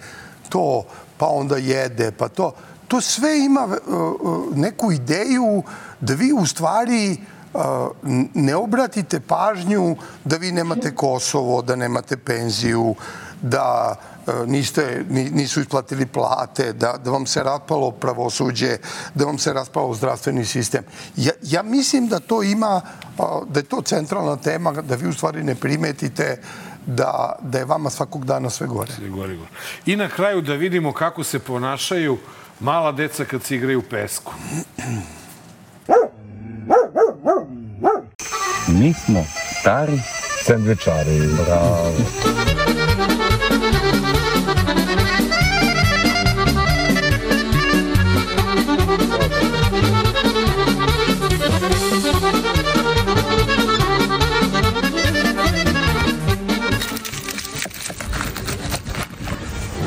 to, pa onda jede, pa to... To sve ima uh, neku ideju da vi u stvari uh, ne obratite pažnju da vi nemate Kosovo, da nemate penziju, da uh, niste, nisu isplatili plate, da, da vam se raspalo pravosuđe, da vam se raspalo zdravstveni sistem. Ja, ja mislim da to ima, uh, da je to centralna tema, da vi u stvari ne primetite da, da je vama svakog dana sve gore. Sve gore, gore. I na kraju da vidimo kako se ponašaju mala deca kad se igraju u pesku. Mi smo stari sendvičari. Bravo.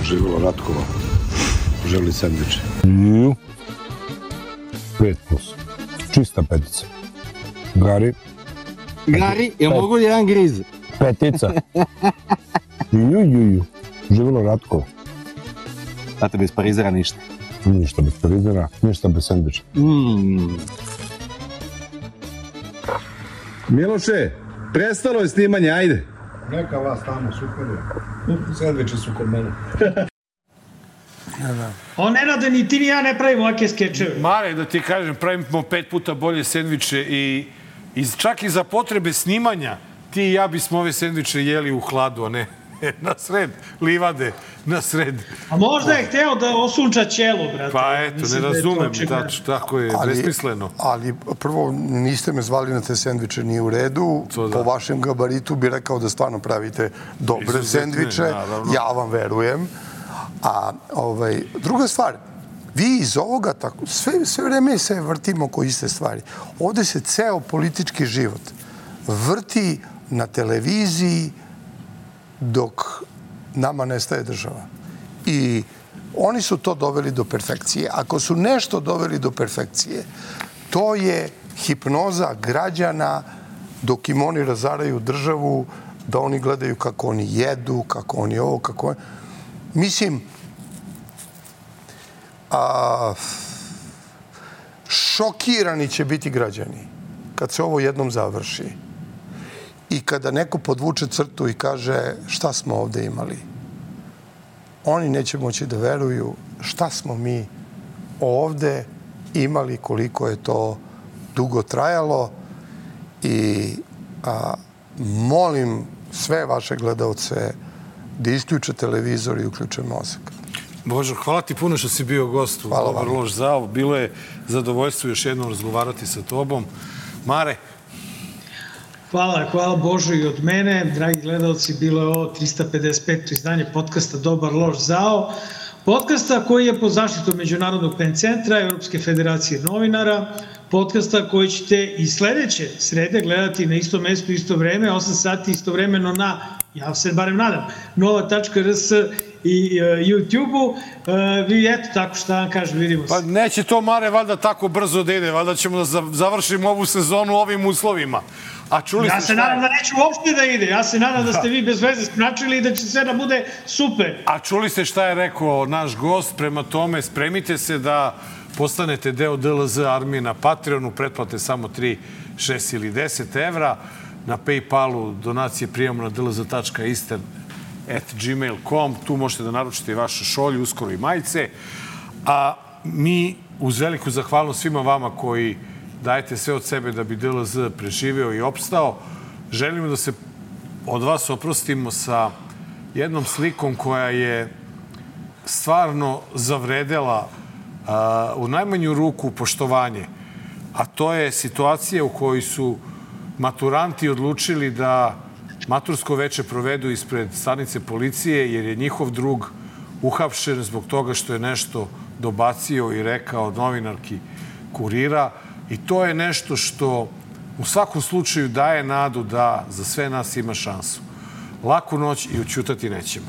Živjelo Ratkova. Želi sandviče. Ju. Pet plus. Čista petica. Gari. Gari, jel mogu li jedan griz? Petica. Ju, ju, ju. Živjelo Ratkovo. Znate, bez parizera ništa. Ništa bez parizera, ništa bez sandviča. Mm. Miloše, prestalo je snimanje, ajde. Neka vas tamo, super je. Sandviči su kod mene. On ne rade, ni ti ni ja ne pravimo ovake skečeve. Mare, da ti kažem, pravimo pet puta bolje sendviče i, i čak i za potrebe snimanja ti i ja bismo ove sendviče jeli u hladu, a ne na sred livade, na sred. A možda je hteo da osunča ćelo, brate. Pa eto, ne razumem, tako je, besmisleno. Ali prvo, niste me zvali na te sendviče, nije u redu. Po vašem gabaritu bi rekao da stvarno pravite dobre sendviče. Ja vam verujem. A druga stvar, vi iz ovoga, sve vreme se vrtimo oko iste stvari. Ovde se ceo politički život vrti na televiziji dok nama nestaje država. I oni su to doveli do perfekcije. Ako su nešto doveli do perfekcije, to je hipnoza građana dok im oni razaraju državu, da oni gledaju kako oni jedu, kako oni ovo, kako oni... Mislim, a, šokirani će biti građani kad se ovo jednom završi i kada neko podvuče crtu i kaže šta smo ovde imali. Oni neće moći da veruju šta smo mi ovde imali, koliko je to dugo trajalo i a, molim sve vaše gledalce da isključe televizor i uključe mozak. Božo, hvala ti puno što si bio gost u Dobar loš zao. Bilo je zadovoljstvo još jednom razgovarati sa tobom. Mare? Hvala, hvala Božo i od mene. Dragi gledalci, bilo je ovo trista pedeset peto izdanje podcasta Dobar loš zao. Podcasta koji je pod zaštitom Međunarodnog pen centra, Evropske federacije novinara. Podcasta koji ćete i sledeće srede gledati na istom mestu, isto vreme, osam sati istovremeno na, ja se barem nadam, nova tačka r s i YouTube-u. Vi eto, tako šta vam kažem, vidimo se. Pa neće to, Mare, valjda tako brzo da ide. Valjda ćemo da završimo ovu sezonu u ovim uslovima. Ja se nadam da neću uopšte da ide. Ja se nadam da ste vi bez veze spračili i da će sve da bude super. A čuli ste šta je rekao naš gost, prema tome spremite se da postanete deo D L Z armije na Patreonu, pretplate samo tri, šest ili deset evra. Na Paypalu donacije prijemamo na d l z tačka eastern at gmail dot com. Tu možete da naručite i vaše šolje, uskoro i majice. A mi uz veliku zahvalnost svima vama koji dajete sve od sebe da bi D L Z preživeo i opstao. Želimo da se od vas oprostimo sa jednom slikom koja je stvarno zavredela u najmanju ruku poštovanje. A to je situacija u kojoj su maturanti odlučili da matursko veče provedu ispred stanice policije jer je njihov drug uhapšen zbog toga što je nešto dobacio i rekao novinarki Kurira. I to je nešto što u svakom slučaju daje nadu da za sve nas ima šansu. Laku noć i ućutati nećemo.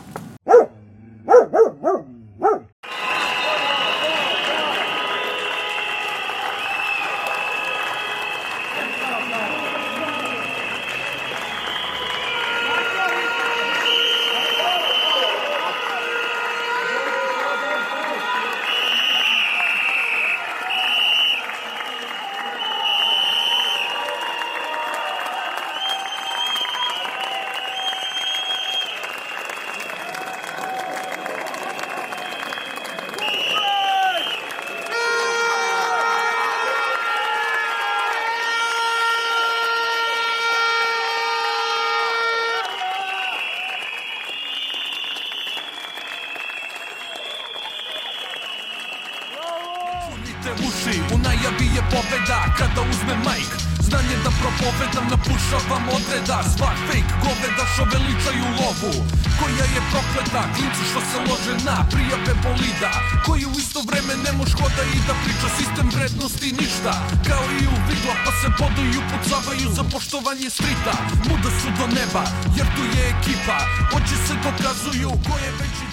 U najavi je pobeda kada uzme majk. Znanje da propovedam, napušavam odreda. Svak fake goveda što veličaju lovu, koja je prokleta, klinci što se lože na prijave bolida, koji u isto vreme ne moš hoda i da priča sistem vrednosti ništa. Kao i u vidla pa se boduju, pucavaju za poštovanje strita. Muda su do neba jer tu je ekipa, oči se dokazuju ko je veći